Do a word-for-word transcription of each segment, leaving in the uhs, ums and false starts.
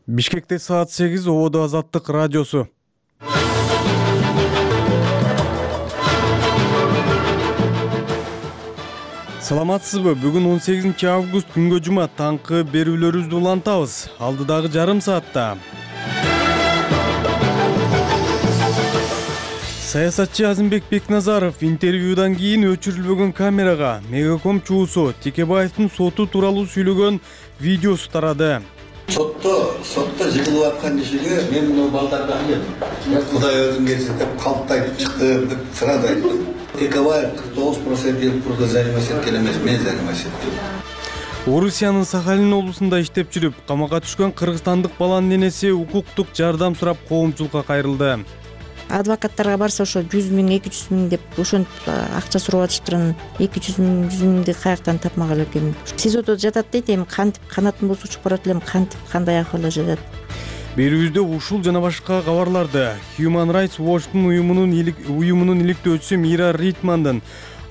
Бишкекте саат сегиз, Ободо Азаттык радиосу. Саламатсызбы? Бүгүн он сегизинчи август күнгө жума таңкы берүүлөрүбүздү улантабыз. Алдыдагы жарым саатта саясатчы Азимбек Бекназаров интервьюдан кийин өчүрүлбөгөн камерага Мегаком чуусу Текебаевдин соту тууралуу сүйлөгөн видеосу тарады. Сотто, сотто жыгылып аткан кишиге мен мына балдарга келдим. Кудай өзүң келсе деп калпты айтып чыктым деп сразу айттым. Текебаев кырк тогуз процент пурда заниматься эткен эмес, мен заниматься эттим. Орусиянын Сахалин облусунда иштеп жүрүп, камакка түшкөн кыргызстандык баланын энеси укуктук жардам сурап коомчулукка кайрылды. Адвокаттарга барса ошо жүз миң, эки жүз миң деп ошентип акча сурап атышыптыр. эки жүз миң, жүз миңди каяктан тапмак элекмин. СИЗОдо жатат дейт, эми кантип канатын босуп чыгып барат элем, кантип кандай акыбалда жатат. Берүүбүздө ушул жана башка кабарларды Human Rights Watch'тун уюмунун уюмунун иликтөөчүсү Мира Ритмандын,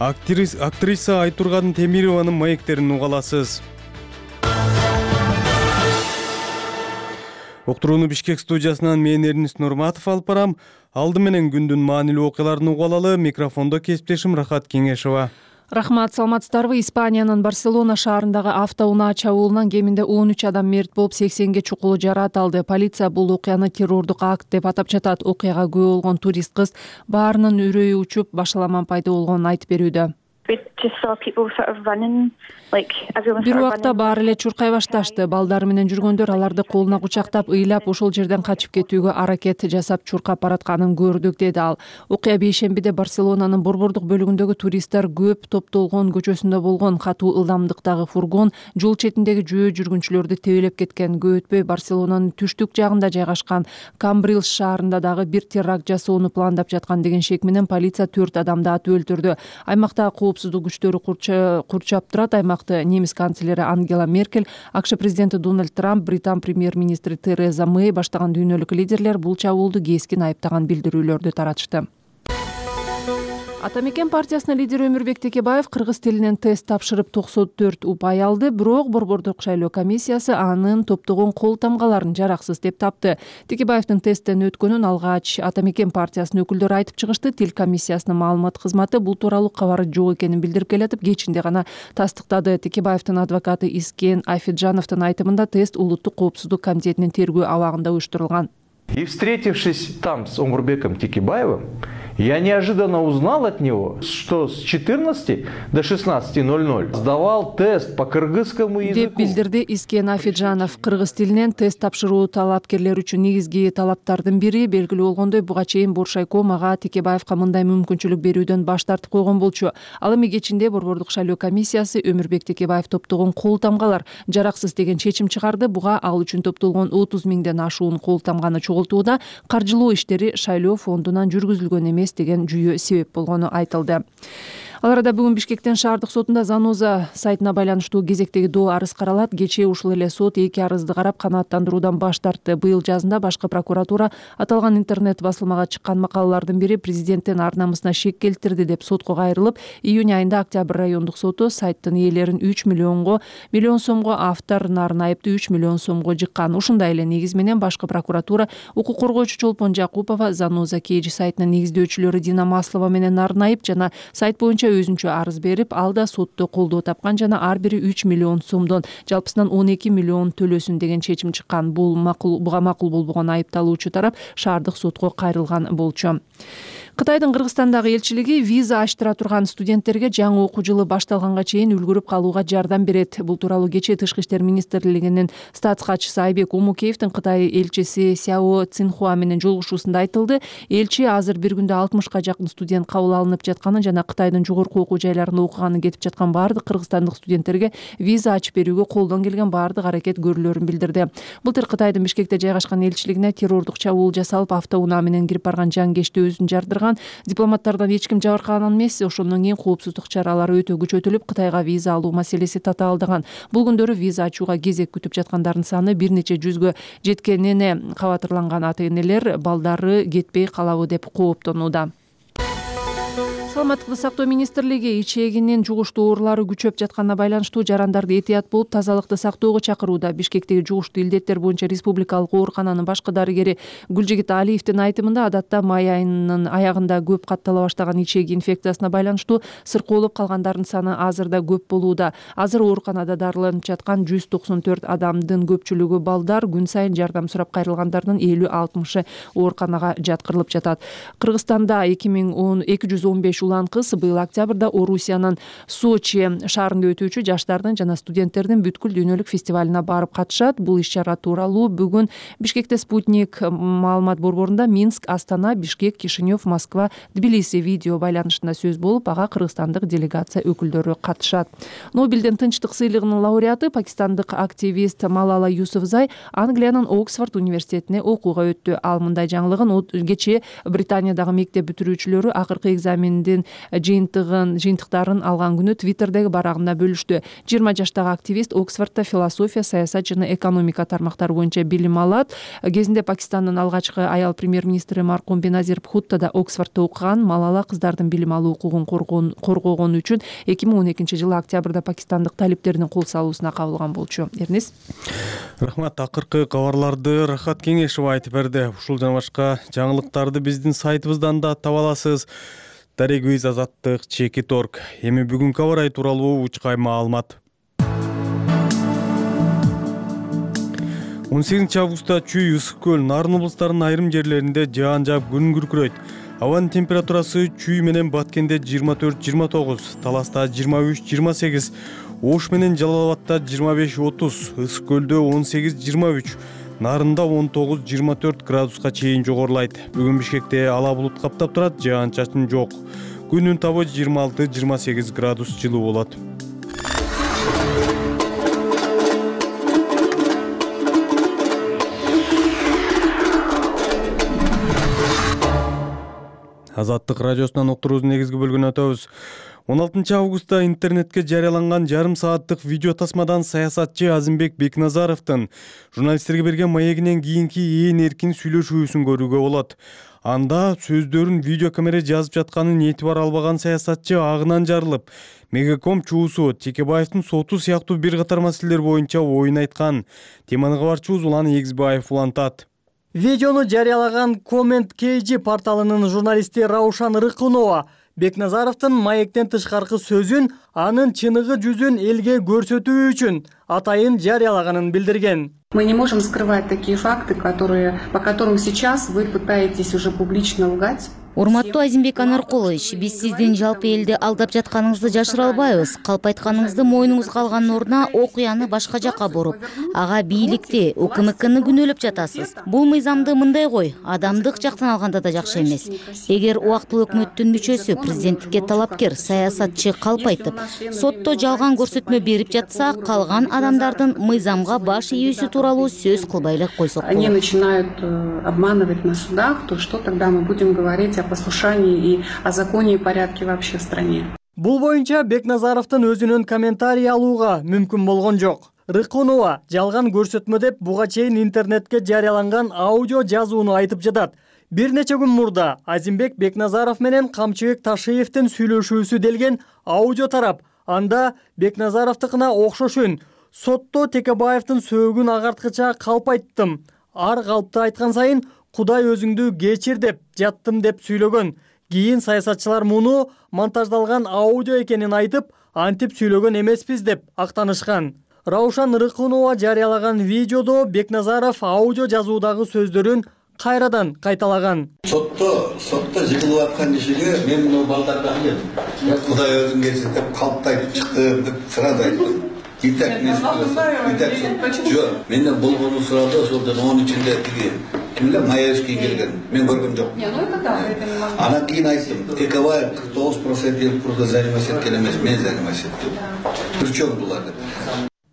актриса Айтурган Темированын маектерин уга аласыз. Уктурууну Бишкек студиясынан мен Эрнис Нурматов алып барам. Алды менен күндүн маанилүү окуяларын угуп алалы. Микрофондо кесиптешим Рахат Кеңешова. Рахмат, саламатсыздарбы? Испаниянын Барселона шаарындагы автоунаа чабуулунан кеминде он үч адам мерт болуп, сексенге чукулу жараат алды. Полиция бул окуяны террордук акт деп атап жатат. Окуяга күбө болгон турист кыз баарынын үрөйү учуп, башаламан пайда болгонун айтып берүүдө. Бир убакта баары эле чуркай башташты. Балдары менен жүргөндөр аларды колуна кучактап, ыйлап, ошол жерден качып кетүүгө аракет жасап чуркап баратканын көрдүк, деди ал. Окуя бейшембиде Барселонанын борбордук бөлүгүндөгү туристтер көп топтолгон көчөсүндө болгон. Катуу ылдамдыктагы фургон жол четиндеги жөө жүргүнчүлөрдү тебелеп кеткен. Көп өтпөй Барселонанын түштүк жагында жайгашкан Камбрилс шаарында дагы бир теракт жасоону пландап жаткан деген шек менен полиция төрт адамды атып өлтүрдү. Аймакта коопсуздук күчтөрү курчап турат. Аймакты немис канцлери Ангела Меркель, АКШ президенти Дональд Трамп, Британ премьер-министри Тереза Мэй баштаган дүйнөлүк лидерлер бул чабуулду кескин айыптаган билдирүүлөрдү таратышты. Ата мекен партиясынын лидери Өмүрбек Текебаев кыргыз тилинен тест тапшырып токсон төрт упай алды, бирок борбордук шайлоо комиссиясы анын топтогон кол тамгаларын жараксыз деп тапты. Текебаевдин тесттен өткөнүн алгач Ата мекен партиясынын өкүлдөрү айтып чыгышты. Тил комиссиясынын маалымат кызматы бул тууралуу кабары жок экенин билдирип келатып, кечинде гана тастыктады. Текебаевдин адвокаты Искен Айфеджановдун айтымында тест улуттук коопсуздук комитетинин тергөө абагында уюштурулган. И встретившись там с Омурбеком Текебаевым, я неожиданно узнал от него, что с четырнадцати до шестнадцати ноль-ноль сдавал тест по кыргызскому языку. Деп билдирди Искен Афиджанов. Кыргыз тилинен тест тапшыруу талапкерлер үчүн негизги талаптардын бири. Белгилүү болгондой, буга чейин Боршайком ага Текебаевка мындай мүмкүнчүлүк берүүдөн баш тартып койгон болчу. Ал эми кечинде борбордук шайлоо комиссиясы Өмүрбек Текебаев топтогон кол тамгалар жараксыз деген чечим чыгарды. Буга ал үчүн топтолгон отуз миңден ашуун кол тамганы чогултууда каржылоо иштери шайлоо фондунан жүргүзүлгөн эмес деген жүйө себеп болгону айтылды. Ал арада бүгүн Бишкектин шаардык сотунда Заноза сайтына байланыштуу кезектеги доо арыз каралат. Кечээ ушул эле сот эки арызды карап канааттандыруудан баш тартты. Быйыл жазында башкы прокуратура аталган интернет басылмага чыккан макалалардын бири президенттин ар намысына шек келтирди деп сотко кайрылып, июнь айында Октябрь райондук соту сайттын ээлерин үч миллионго миллион сомго, автор Нарын айыпты үч миллион сомго жыккан. Ушундай эле негиз менен башкы прокуратура укук коргоочу Чолпон Жакупова, Заноза Кейджи сайтынын негиздөөчүлөрү Дина Маслова менен Нарын айып жана сайт боюнча өзүнчө арыз берип, ал да сотто колдоо тапкан жана ар бири үч миллион сомдон жалпысынан он эки миллион төлөсүн деген чечим чыккан. Бул макул буга макул болбогон айыпталуучу тарап шаардык сотко кайрылган болчу. Кытайдын Кыргызстандагы элчилиги виза ачтыра турган студенттерге жаңы окуу жылы башталганга чейин үлгүрүп калууга жардам берет. Бул тууралуу кечээ Тышкы иштер министрлигинин статс катчысы Айбек Умукеевдин Кытай элчиси Сяо Цинхуа менен жолугушуусунда айтылды. Элчи азыр бир күндө алтымышка жакын студент кабыл алынып жатканын жана Кытайдын жогорку окуу жайларында окуганы кетип жаткан баардык кыргызстандык студенттерге виза ачып берүүгө колдон келген баардык аракет көрүлөрүн билдирди. Былтыр Кытайдын Бишкекте жайгашкан элчилигине террордук чабуул жасалып, автоунаа менен кирип барган жангечти өзүн жардырган. Дипломаттардан эч ким жабыркаган эмес. Ошондон кийин коопсуздук чаралары өтө күчөтүлүп, Кытайга виза алуу маселеси татаалдаган. Бул күндөрү виза ачууга кезек күтүп жаткандардын саны бир нече жүзгө жеткенине кабатырланган ата-энелер балдары кетпей калабы деп кооптонууда. саламаттыкты сактоо министрлиги ичегинин жугуштуу оорулары күчөп жатканына байланыштуу жарандарды этият болуп тазалыкты сактоого чакырууда. Бишкектеги жугуштуу илдеттер боюнча республикалык оорукананын башкы дарыгери Гүлжигит Алиевдин айтымында, адатта май айынын аягында көп каттала баштаган ичеги инфекциясына байланыштуу сыркоолоп калгандардын саны азырда көп болууда. Азыр ооруканада дарыланып жаткан жүз токсон төрт адамдын көпчүлүгү балдар, күн сайын жардам сурап кайрылгандардын элүү алтымышы ооруканага жаткырылып жатат. Кыргызстанда эки жүз он беш улан кыз быйыл октябрда Орусиянын Сочи шаарында өтүүчү жаштардын жана студенттердин бүткүл дүйнөлүк фестивалына барып катышат. Бул иш-чара тууралуу бүгүн Бишкекте Спутник маалымат борборунда Минск, Астана, Бишкек, Кишинев, Москва, Тбилиси видео байланышында сөз болуп, ага кыргызстандык делегация өкүлдөрү катышат. Нобелдин тынчтык сыйлыгынын лауреаты пакистандык активист Малала Юсуфзай Англиянын Оксфорд университетине окууга өттү. Ал мындай жаңылыгын кечээ Британиядагы мектеп бүтүрүүчүлөрү акыркы экзамендин жыйынтыгын жыйынтыктарын алган күнү Твиттердеги барагында бөлүштү. жыйырма жаштагы активист Оксфордто философия, саясат жана экономика тармактары боюнча билим алат. Кезинде Пакистандын алгачкы аял премьер-министри маркум Беназир Бхутто да Оксфордто окуган. Малала кыздардын билим алуу укугун коргогон үчүн эки миң он экинчи жылы октябрда пакистандык талиптердин кол салуусуна кабылган болчу. Эрнис. Рахмат, акыркы кабарларды Рахат Кеңешова айтып берди. Ушул жана башка жаңылыктарды биздин сайтыбыздан да таба аласыз. Дарегиз Азаттык, Чекит орг. Эми бүгүнкү аба ырайы тууралуу учкай маалымат. он сегизинчи августта Чүй, Ысык көл, Нарын облустарынын айрым жерлеринде жаан жаап күн күркүрөйт. Абанын температурасы Чүй менен Баткенде жыйырма төрт жыйырма тогуз, Таласта жыйырма үч жыйырма сегиз, Ош менен Жалал Абадта жыйырма беш отуз, Ысык көлдө он сегиз жыйырма үч, Нарында он тогуз жыйырма төрт градуска чейин жогорулайт. Бүгүн Бишкекте ала булут каптап турат, жаан-чачын жок. Күнүн табы жыйырма алты жыйырма сегиз градус жылуу болот. Азаттык радиосунан уктуруубуздун негизги бөлүгүнө өтөбүз. он алтынчы августта интернетке жарыяланган жарым сааттык видео тасмадан саясатчы Азимбек Бекназаровдун журналисттерге берген маегинен кийинки ээн эркин сүйлөшүүсүн көрүүгө болот. Анда сөздөрүн видеокамера жазып жатканын этибар албаган саясатчы агынан жарылып, Мегаком чуусу Текебаевдин соту сыяктуу бир катар маселелер боюнча оюн айткан. Теманы кабарчыбыз Улан Эгизбаев улантат. Видеону жарыялаган Comment кей джи порталынын журналисти Раушан Рыкунова Бекназаровдун маектен тышкаркы сөзүн, анын чыныгы жүзүн элге көрсөтүү үчүн атайын жарыялаганын билдирген. Мы не можем скрывать такие факты, которые, по которым сейчас вы пытаетесь уже публично лгать. Урматтуу Азимбек Анаркулович, биз сиздин жалпы элди алдап жатканыңызды жашыра албайбыз. Калп айтканыңызды мойнуңузга алган ордуна окуяны башка жакка буруп, ага бийликти, УКМКны күнөөлөп жатасыз. Бул мыйзамды мындай кой, адамдык жактан алганда да жакшы эмес. Эгер убактылуу өкмөттүн мүчөсү, президенттикке талапкер, саясатчы калп айтып, сотто жалган көрсөтмө берип жатса, калган адамдардын мыйзамга баш ийүүсү тууралуу сөз кылбай эле койсок болот. Они начинают обманывать на судах, то что тогда мы будем говорить о послушании и о законе и порядке вообще в стране. Бул боюнча Бекназаровдун өзүнүн комментарий алууга мүмкүн болгон жок. Рыкунова жалган көрсөтмө деп буга чейин интернетке жарыяланган аудио жазууну айтып жатат. Бир нече күн мурда Азимбек Бекназаров менен Камчыбек Ташиевдин сүйлөшүүсү делген аудио тарап. Анда Бекназаровдукуна окшош үн. Сотто Текебаевдин сөөгүн агарткыча калп айттым. Ар калпты айткан сайын Кудай өзүңдү кечир деп жаттым деп сүйлөгөн. Кийин саясатчылар муну монтаждалган аудио экенин айтып, антип сүйлөгөн эмеспиз деп актанышкан. Раушан Рыкунова жарыялаган видеодо Бекназаров аудио жазуудагы сөздөрүн кайрадан кайталаган. Сотто, сотто жыгылып аткан кишиге мен муну балдарга айттым. Я Кудай өзүң кечир деп калпты айтып чыктым деп сразу айттым. Итак, мен итак, жок, менден болгону сурады, ошолдон он ичинде тиги кимдер Маевский келген. Мен көргөн жокмун. Не, ну это да, это не могу. Анан кийин айттым, Текебаев кырк тогуз процент курда заниматься эткен эмес, мен заниматься эттим. Причем булар деп.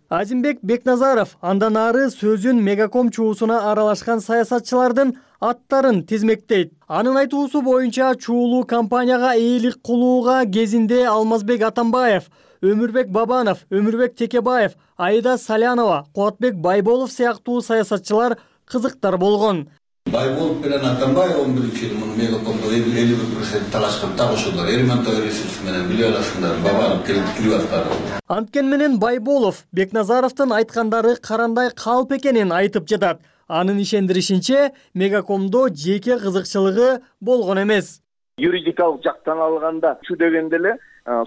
Азимбек Бекназаров андан ары сөзүн Мегаком чуусуна аралашкан саясатчылардын аттарын тизмектейт. Анын айтуусу боюнча чуулуу компанияга ээлик кылууга кезинде Алмазбек Атамбаев, Өмүрбек Бабанов, Өмүрбек Текебаев, Айда Салянова, Куатбек Байболов сыяктуу саясатчылар кызыктар болгон. Байболов менен Атамбаев он биринчи жылы муну Мегакомдо элүү бир процент талашкан так ошолор. Эрмантов ресурсу менен биле аласыңдар, бабанып келип аткан. Анткен менен Байболов Бекназаровдун айткандары карандай калп экенин айтып жатат. Анын ишендиришинче, Мегакомдо жеке кызыкчылыгы болгон эмес. Юридикалык жактан алганда чу дегенде эле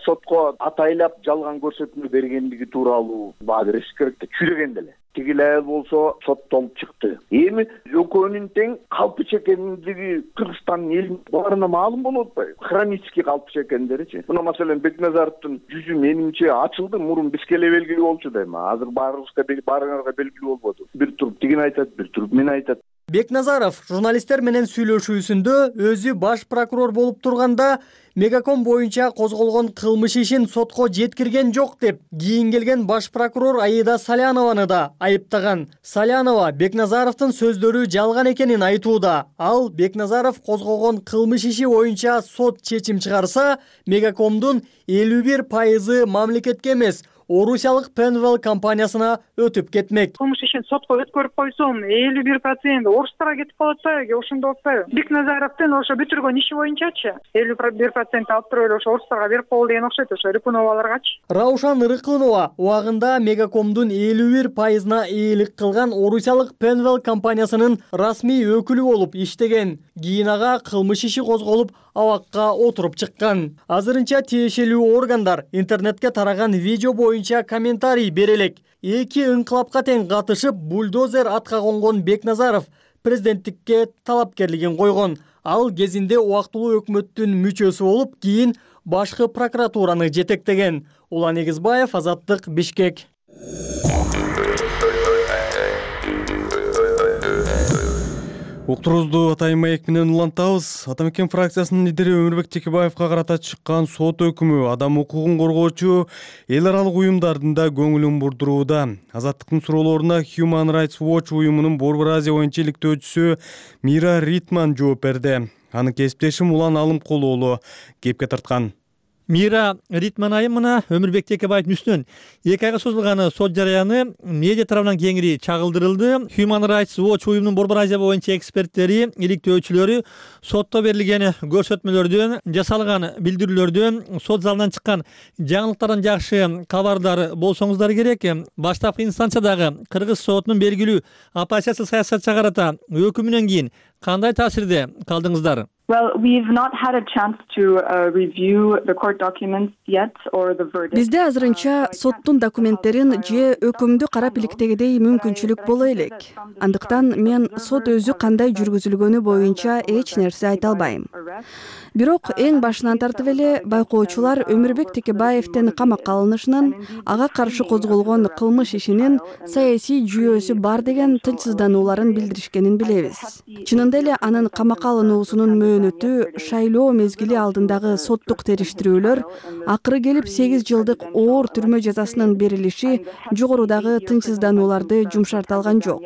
сотко атайлап жалган көрсөтмө бергендиги тууралуу баа бериш керек да. Чу дегенде эле тигил айыл болсо соттолуп чыкты. Эми экөөнүн тең калпыч экендиги Кыргызстандын элинин баарына маалым болуп атпайбы? Хронический калпыч экендеричи. Мына маселен Бекназаровдун жүзү менимче ачылды, мурун бизге эле белгилүү болчу дейм. Азыр баарыбызга баарыңарга белгилүү болбоду. Бир туруп тигин айтат, бир туруп мен айтат. Бекназаров журналисттер менен сүйлөшүүсүндө өзү баш прокурор болуп турганда Мегаком боюнча козголгон кылмыш ишин сотко жеткирген жок деп, кийин келген баш прокурор Аида Салянованы да айыптаган. Салянова Бекназаровдун сөздөрү жалган экенин айтууда. Ал Бекназаров козгогон кылмыш иши боюнча сот чечим чыгарса, Мегакомдун элүү бир пайызы мамлекетке эмес, Орусиялык Penwell компаниясына өтүп кетмек. Кылмыш ишин сотко өткөрүп койсом, элүү бир процент орустарга кетип калат атпайбы, ошондо атпайбы? Бекназаровдун ошо бүтүргөн иши боюнчачы элүү бир процент алып туруп эле ошо орустарга берип койду деген окшойт, ошо Рыкуноваларгачы. Раушан Рыкунова убагында Мегакомдун элүү бир пайызына ээлик кылган Орусиялык Penwell компаниясынын расмий өкүлү болуп иштеген. Кийин ага кылмыш иши козголуп, абакка отуруп чыккан. Азырынча тиешелүү органдар интернетке тараган видео боюнча комментарий бере элек. Эки ыңкылапка тең катышып, бульдозер атка конгон Бекназаров президенттикке талапкерлигин койгон. Ал кезинде убактылуу өкмөттүн мүчөсү болуп, кийин башкы прокуратураны жетектеген. Улан Эгизбаев, Азаттык, Бишкек. Уктуруубузду Атайын маек менен улантабыз. Атамекен фракциясынын лидери Өмүрбек Текебаевка карата чыккан сот өкүмү адам укугун коргоочу эл аралык уюмдардын да көңүлүн бурдурууда. Азаттыктын суроолоруна Human Rights Watch уюмунун Борбор Азия боюнча иликтөөчүсү Мира Ритман жооп берди. Аны кесиптешим Улан Алымкулуу уулу кепке тарткан. Мира Ритман айым мына Өмүрбек Текебаевдин үстүнөн эки айга созулган сот жарыяны медиа тарабынан кеңири чагылдырылды. Human Rights Watch уюмунун Борбор Азия боюнча эксперттери, иликтөөчүлөрү сотто берилген көрсөтмөлөрдөн, жасалган билдирүүлөрдөн, сот залынан чыккан жаңылыктардан жакшы кабардар болсоңуздар керек. Баштапкы инстанциядагы Кыргыз сотунун белгилүү оппозиция саясатчыга карата өкүмүнөн кийин кандай таасирде калдыңыздар? Well, we've not had a chance to uh, review the court documents yet or the verdict. Бизде азырынча соттун документтерин же өкүмдү карап иликтегидей мүмкүнчүлүк боло элек. Андыктан мен сот өзү кандай жүргүзүлгөнү боюнча эч нерсе айта албайм. Бирок эң башынан тартып эле байкоочулар Өмүрбек Текебаевдин камакка алынышынын, ага каршы козголгон кылмыш ишинин саясий жүйөөсү бар деген тынчсызданууларын билдиришкенин билебиз. Чынында эле анын камакка алынуусунун мөөнөтү шайлоо мезгили алдындагы соттук териштирүүлөр, акыры келип сегиз жылдык оор түрмө жазасынын берилиши жогорудагы тынчсызданууларды жумшарта алган жок.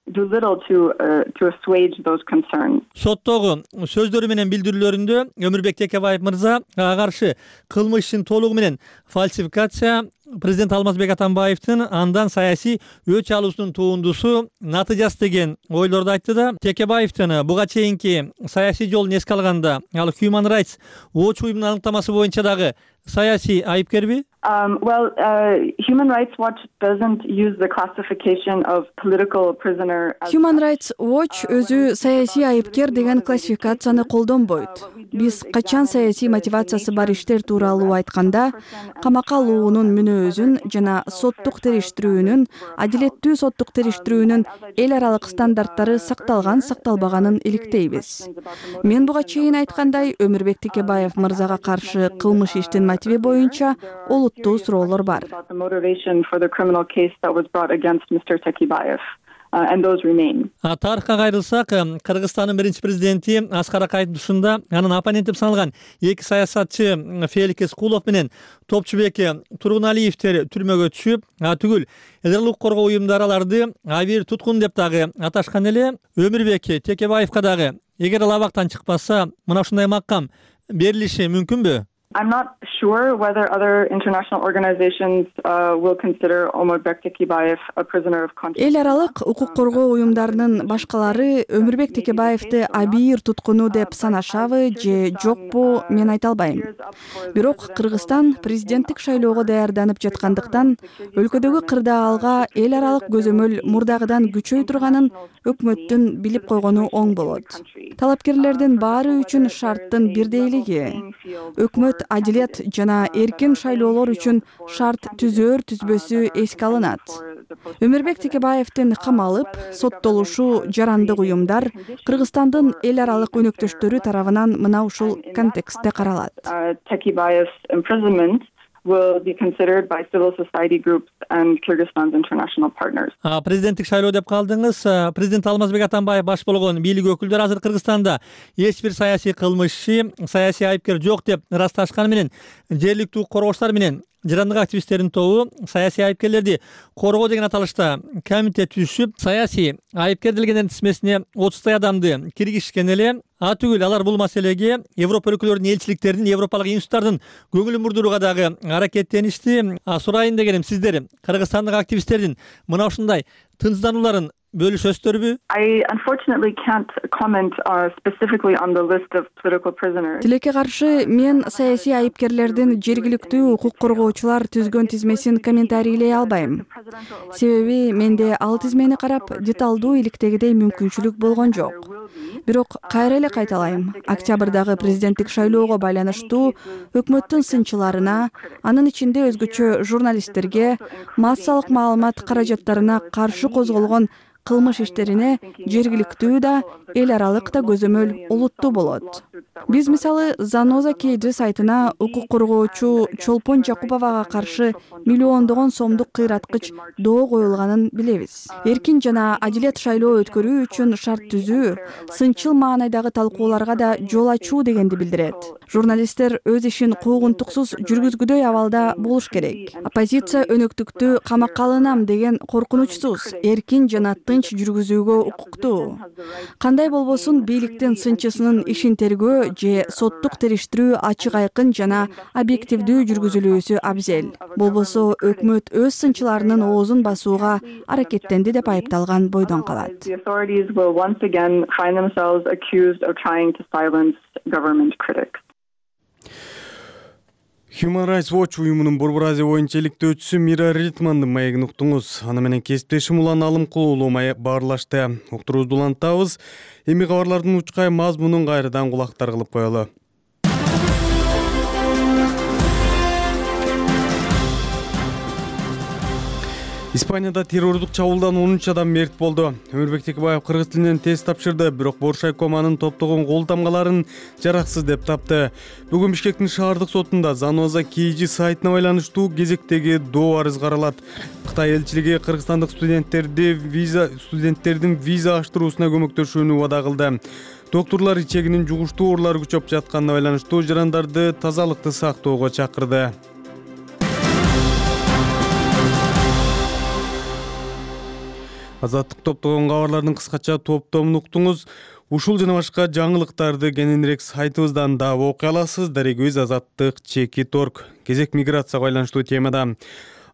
Do little to uh, to assuage those concerns. Соттогу сөздөрү менен билдирүүлөрүндө Өмүрбек Текебаев мырза ага каршы кылмыш ишин толугу менен фальсификация, президент Алмазбек Атамбаевдин андан саясий өч алуусунун турундусу натыйжасы деген ойлорду айтты да. Текебаевдин буга чейинки саясий жолун эске алганда, ал Human Rights Watch уюмунун аныктамасы боюнча дагы саясий айыпкерби? Um, well, uh, Human Rights Watch doesn't use the classification of political prisoner. Human Rights Watch өзү саясий айыпкер деген классификацияны колдонбойт. Биз качан саясий мотивациясы бар иштер тууралуу айтканда, камакка алуунун мүнөзүн жана соттук териштирүүнүн, адилеттүү соттук териштирүүнүн эл аралык стандарттары сакталган сакталбаганын иликтейбиз. Мен буга чейин айткандай, Өмүрбек Текебаев мырзага каршы кылмыш иштин мотиви боюнча олуттуу суроолор бар. Тарыхка кайрылсак, Кыргызстандын биринчи президенти Аскар Акаевдин тушунда анын оппоненти саналган эки саясатчы Фелик Эскулов менен Топчубек Тургуналиевдер түрмөгө түшүп, түгүл эл аралык коргоо уюмдары аларды абийир туткун деп дагы аташкан эле. Өмүрбек Текебаевка дагы эгер ал абактан чыкпаса, мына ушундай макам берилиши мүмкүнбү? I'm not sure whether other international organizations uh, will consider Өмүрбек Текебаев a prisoner of conscience. Эл аралык укук коргоо уюмдарынын башкалары Өмүрбек Текебаевди абийир туткуну деп санашабы же жокпу, мен айта албайм. Бирок Кыргызстан президенттик шайлоого даярданып жаткандыктан өлкөдөгү кырдаалга эл аралык көзөмөл мурдагыдан күчөй турганын өкмөттүн билип койгону оң болот. Талапкерлердин баары үчүн шарттын бирдейлиги. Өкмөт адилет жана эркин шайлоолор үчүн шарт түзөр түзбөсү эске алынат. Өмүрбек Текебаевдин камалып, соттолушу жарандык уюмдар Кыргызстандын эл аралык өнөктөштөрү тарабынан мына ушул контекстте каралат. Текебаев's imprisonment will be considered by civil society groups and Kyrgyzstan's international partners. Президенттик шайлоо деп калдыңыз. Президент Алмазбек Атамбаев баш болгон бийлик өкүлдөрү азыр Кыргызстанда эч бир саясий кылмышчы, саясий айыпкер жок деп ырасташканы менен жергиликтүү укук коргоочулар менен жарандык активисттердин тобу саясий айыпкерлерди коргоо деген аталышта комитет түзүшүп, саясий айыпкер делгендердин тизмесине отуздай адамды киргизишкен эле. А түгүл алар бул маселеге Европа өлкөлөрүнүн элчиликтеринин, европалык институттардын көңүлүн бурдурууга дагы аракеттеништи. Сурайын дегеним, сиздер кыргызстандык активисттердин мына ушундай тынчсызданууларын бөлүшөсүздарбы? I unfortunately can't comment uh, specifically on the list of political prisoners. Тилекке каршы мен саясий айыпкерлердин жергиликтүү укук коргоочулар түзгөн тизмесин комментарийлей албайм. Себеби менде ал тизмени карап деталдуу иликтегидей мүмкүнчүлүк болгон жок. Бирок кайра эле кайталайм. Октябрдагы президенттик шайлоого байланыштуу өкмөттүн сынчыларына, анын ичинде өзгөчө журналисттерге, массалык маалымат каражаттарына каршы козголгон кылмыш иштерине жергиликтүү да, эл аралык да көзөмөл олуттуу болот. Биз мисалы Заноза Кейджи сайтына укук коргоочу Чолпон Жакуповага каршы миллиондогон сомдук кыйраткыч доо коюлганын билебиз. Эркин жана адилет шайлоо өткөрүү үчүн шарт түзүү, сынчыл маанайдагы талкууларга да жол ачуу дегенди билдирет. Журналисттер өз ишин куугунтуксуз жүргүзгүдөй абалда болуш керек. Оппозиция өнөктүктү камакка алынам деген коркунучсуз, эркин жана тынч жүргүзүүгө укуктуу. Кандай болбосун бийликтин сынчысынын ишин тергөө же соттук териштирүү ачык айкын жана объективдүү жүргүзүлүүсү абзел. Болбосо өкмөт өз сынчыларынын оозун басууга аракеттенди деп айыпталган бойдон калат. The authorities will once again find themselves accused of trying to silence government critics. Human Rights Watch уюмунун Борбор Азия боюнча иликтөөчүсү Мира Ритмандын маегин уктуңуз. Аны менен кесиптешим Улан Алымкулуу баарлашты. Уктуруубузду улантабыз. Эми кабарлардын учкай мазмунун кайрадан кулактар кылып коелу. Испанияда террордук чабуулдан он үч адам мерт болду. Өмүрбек Текебаев кыргыз тилинен тест тапшырды, бирок Боршайком анын топтогон кол тамгаларын жараксыз деп тапты. Бүгүн Бишкектин шаардык сотунда Заноза Кейджи сайтына байланыштуу кезектеги доо арыз каралат. Кытай элчилиги кыргызстандык студенттерди виза студенттердин виза аштыруусуна көмөктөшүүнү убада кылды. Доктурлар ичегинин жугуштуу оорулары күчөп жатканына байланыштуу жарандарды тазалыкты сактоого чакырды. Азаттык топтогон кабарлардын кыскача топтомун уктуңуз. Ушул жана башка жаңылыктарды кененирээк сайтыбыздан да окуй аласыз. Дарегөз Азаттык чекит орг. Кезек миграцияга байланыштуу темада.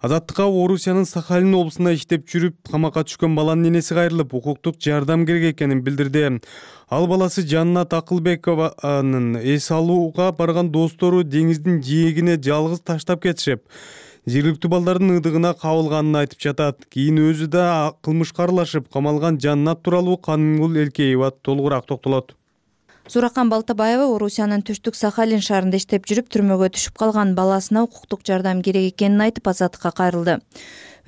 Азаттыкка Орусиянын Сахалин облусунда иштеп жүрүп, камакка түшкөн баланын энеси кайрылып, укуктук жардам керек экенин билдирди. Ал баласы Жаннат Акылбекованын эс алууга барган достору деңиздин жээгине жалгыз таштап кетишип, жергиликтүү балдардын ыдыгына кабылганын айтып жатат. Кийин өзү да кылмышка аралашып камалган Жаннат тууралуу Канымгүл Элкеева толугураак токтолот. Зуракан Балтабаева Орусиянын түштүк Сахалин шаарында иштеп жүрүп, түрмөгө түшүп калган баласына укуктук жардам керек экенин айтып Азаттыкка кайрылды.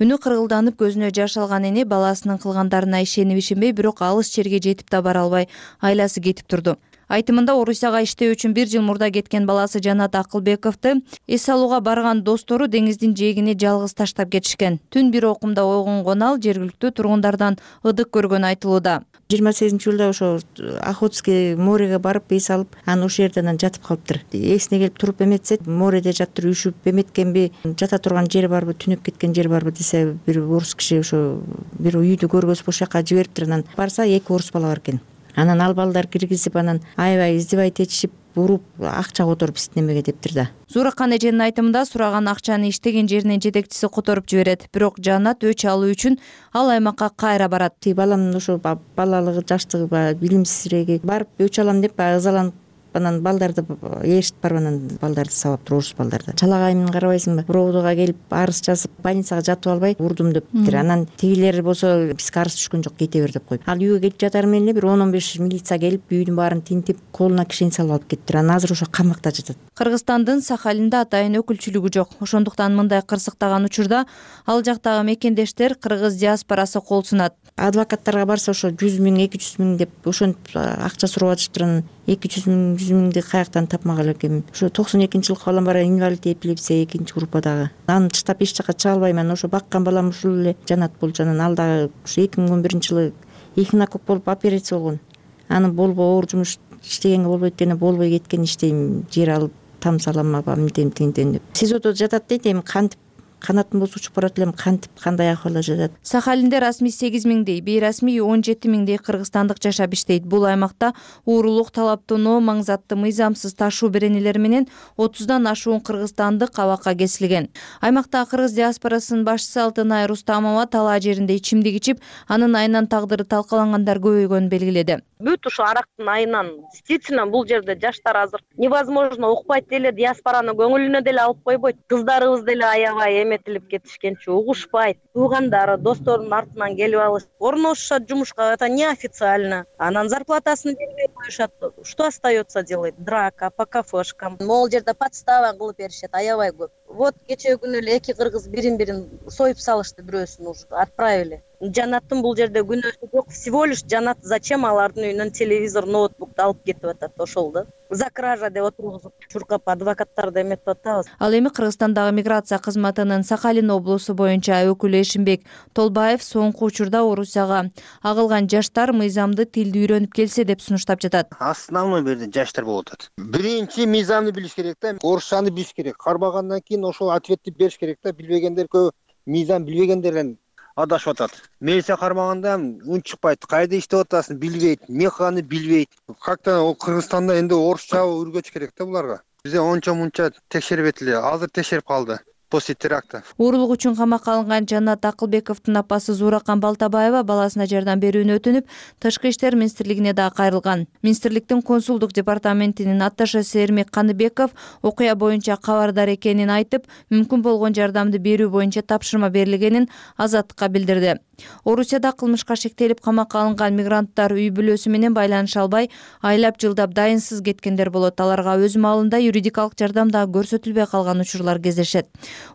Үнү кыргылданып, көзүнө жаш алган эне баласынын кылгандарына ишенип ишенбей, бирок алыс жерге жетип да бара албай, айласы кетип турду. Айтымында Орусияга иштөө үчүн бир жыл мурда кеткен баласы Жанат Акылбековду эс алууга барган достору деңиздин жээгине жалгыз таштап кетишкен. Түн бир окумда ойгонгон ал жергиликтүү тургундардан ыдык көргөнү айтылууда. жыйырма сегизинчи жылда ошо Охотский мореге барып эс алып, анан ошол жерде анан жатып калыптыр. Эсине келип туруп эметсе, мореде жатыр, үшүп эметкенби, жата турган жери барбы, түнөп кеткен жери барбы десе, бир орус киши ошо бир үйдү көргөзүп ошол жака жибериптир. Анан барса эки орус бала бар экен. Анан ал балдар киргизип, анан аябай издевать этишип, уруп акча которуп иштемеге дептир да. Зууракан эженин айтымында сураган акчаны иштеген жеринин жетекчиси которуп жиберет. Бирок Жанат өч алуу үчүн ал аймакка кайра барат. Баламдын ошо балалыгы, жаштыгы баягы билимсиздиги барып өч алам деп баягы ызаланып анан балдарды ээрчитип барып анан балдарды сабап туруп орус балдарды. Чалагайымын карабайсыңбы? Ровдога келип арыз жазып больницага жатып албай урдум дептир. Анан тигилер болсо бизге арыз түшкөн жок, кете бер деп коюп. Ал үйгө келип жатар менен эле бир он он беш милиция келип үйдүн баарын тинтип, колуна кишени салып алып кетиптир. Анан азыр ошо камакта жатат. Кыргызстандын Сахалинде атайын өкүлчүлүгү жок. Ошондуктан мындай кырсыктаган учурда ал жактагы мекендештер кыргыз диаспорасы кол сунат. Адвокаттарга барса ошо жүз миң, эки жүз миң деп ошентип акча сурап атышыптыр. Анан эки жүз миң, жүз миңди каяктан тапмак элем. Ошо токсон экинчи жылкы балам бар, инвалид, эпилепсия экинчи группадагы. Аны таштап эч жака чыга албайм. Ошо баккан балам ушул эле Жанат болчу. Анан ал дагы ушу эки миң он биринчи жылы эхинокок болуп операция болгон. Аны болбой оор жумуш иштегенге болбойт дегене болбой кеткен, иштейм, жер алып там салам, аба мынтем тинтем деп. СИЗОдо жатат дейт, эми кантип канатым болсо учуп барат элем, кантип кандай акыбалда жатат. Сахалинде расмий сегиз миңдей, бейрасмий он жети миңдей кыргызстандык жашап иштейт. Бул аймакта уурулук, талаптоноо, маңзатты мыйзамсыз ташуу беренелери менен отуздан ашуун кыргызстандык абакка кесилген. Аймакта кыргыз диаспорасынын башчысы Алтынай Рустамова талаа жеринде ичимдик ичип, анын айынан тагдыры талкалангандар көбөйгөнүн белгиледи. Бүт ушу арактын айынан действительно бул жерде жаштар азыр невозможно укпайт деле, диаспораны көңүлүнө деле алып койбойт. Кыздарыбыз деле аябай эметилип кетишкенчи, угушпайт. Туугандары, досторунун артынан келип алышат. Орношушат жумушка, это неофициально. Анан зарплатасын бербей коюшат. Что остается делать? Драка по кафешкам. Могул жерде подстава кылып беришет, аябай көп. Вот кечээ күнү эле эки кыргыз бирин-бирин союп салышты, бирөөсүн уже отправили. Жанаттын бул жерде күнөөсү жок. Всего лишь Жанат зачем алардын үйүнөн телевизор, ноутбукту алып кетип атат, ошол да. За кража деп отургузуп, чуркап адвокаттарды эметип атабыз. Ал эми Кыргызстандагы миграция кызматынын Сахалин облусу боюнча өкүлү Эшимбек Толбаев соңку учурда Орусияга агылган жаштар мыйзамды, тилди үйрөнүп келсе деп сунуштап жатат. Основной бул жерде жаштар болуп атат. Биринчи мыйзамды билиш керек да, орусчаны билиш керек. Кармагандан кийин ошол ответти бериш керек да. Билбегендер көп, мыйзам билбегендерден адашып атат. Милиция кармаганда үн чыкпайт, кайда иштеп атасың билбейт, эмне кылганын билбейт. Как-то ол Кыргызстанда энди орусча үйрөтүш керек да буларга. Бизде ончо мунча текшербейт эле, азыр текшерип калды. После теракта. Уурулук үчүн камакка алынган Жанат Акылбековдун апасы Зууракан Балтабаева баласына жардам берүүнү өтүнүп, Тышкы иштер министрлигине да кайрылган. Министрликтин консулдук департаментинин атташасы Эрмек Каныбеков окуя боюнча кабардар экенин айтып, мүмкүн болгон жардамды берүү боюнча тапшырма берилгенин Азаттыкка билдирди. Орусияда кылмышка шектелип камакка алынган мигранттар үй бүлөсү менен байланыша албай, айлап жылдап дайынсыз кеткендер болот. Аларга өз маалында юридикалык жардам да көрсөтүлбөй калган учурлар кездешет.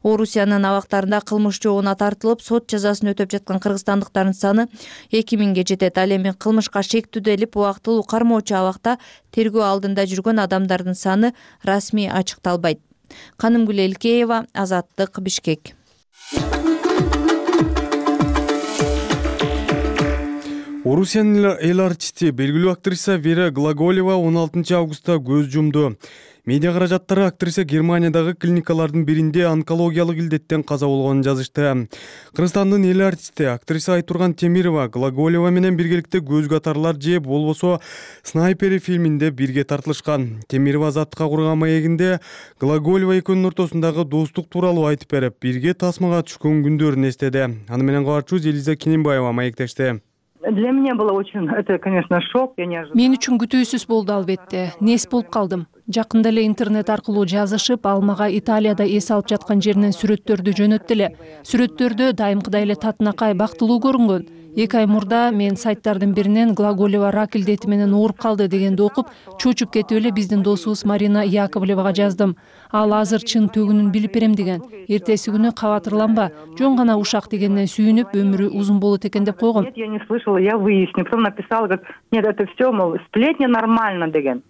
Орусиянын абактарында кылмыш жообуна тартылып, сот жазасын өтөп жаткан кыргызстандыктардын саны эки миңге жетет. Ал эми кылмышка шектүүделип убактылуу кармоочу абакта тергөө алдында жүргөн адамдардын саны расмий ачыкталбайт. Канымгүл Элкеева, Азаттык, Бишкек. Орусиянын эл артисти, белгилүү актриса Вера Глаголева он алтынчы августта көз жумду. Медиа каражаттары актриса Германиядагы клиникалардын биринде онкологиялык илдеттен каза болгонун жазышты. Кыргызстандын эл артисти, актриса Айтурган Темирова Глаголева менен биргеликте көз катарлар же болбосо Снайпери фильминде бирге тартылышкан. Темирова Азаттыкка курган маегинде Глаголева экөөнүн ортосундагы достук тууралуу айтып берип, бирге тасмага түшкөн күндөрүн эстеди. Аны менен кабарчыбыз Элиза Кененбаева маектешти. Для меня было очень, это, конечно, шок. Я не ожидала. Мен үчүн күтүүсүз болду албетте. Нес болуп калдым. Жакында эле интернет аркылуу жазышып, ал мага Италияда эс алып жаткан жеринен сүрөттөрдү жөнөттү эле. Сүрөттөрдө дайымкыдай эле татынакай, бактылуу көрүнгөн. Эки ай мурда мен сайттардын биринен Глаголева рак илдети менен ооруп калды дегенди окуп, чочуп кетип эле биздин досубуз Марина Яковлевага жаздым. Ал азыр чын төгүнүн билип берем деген. Эртеси күнү кабатырланба, жөн гана ушак дегенден сүйүнүп, өмүрү узун болот экен деп койгом. Нет, я не слышала, я выясню. Потом написала, говорит, нет, это все, мол, сплетня нормально деген.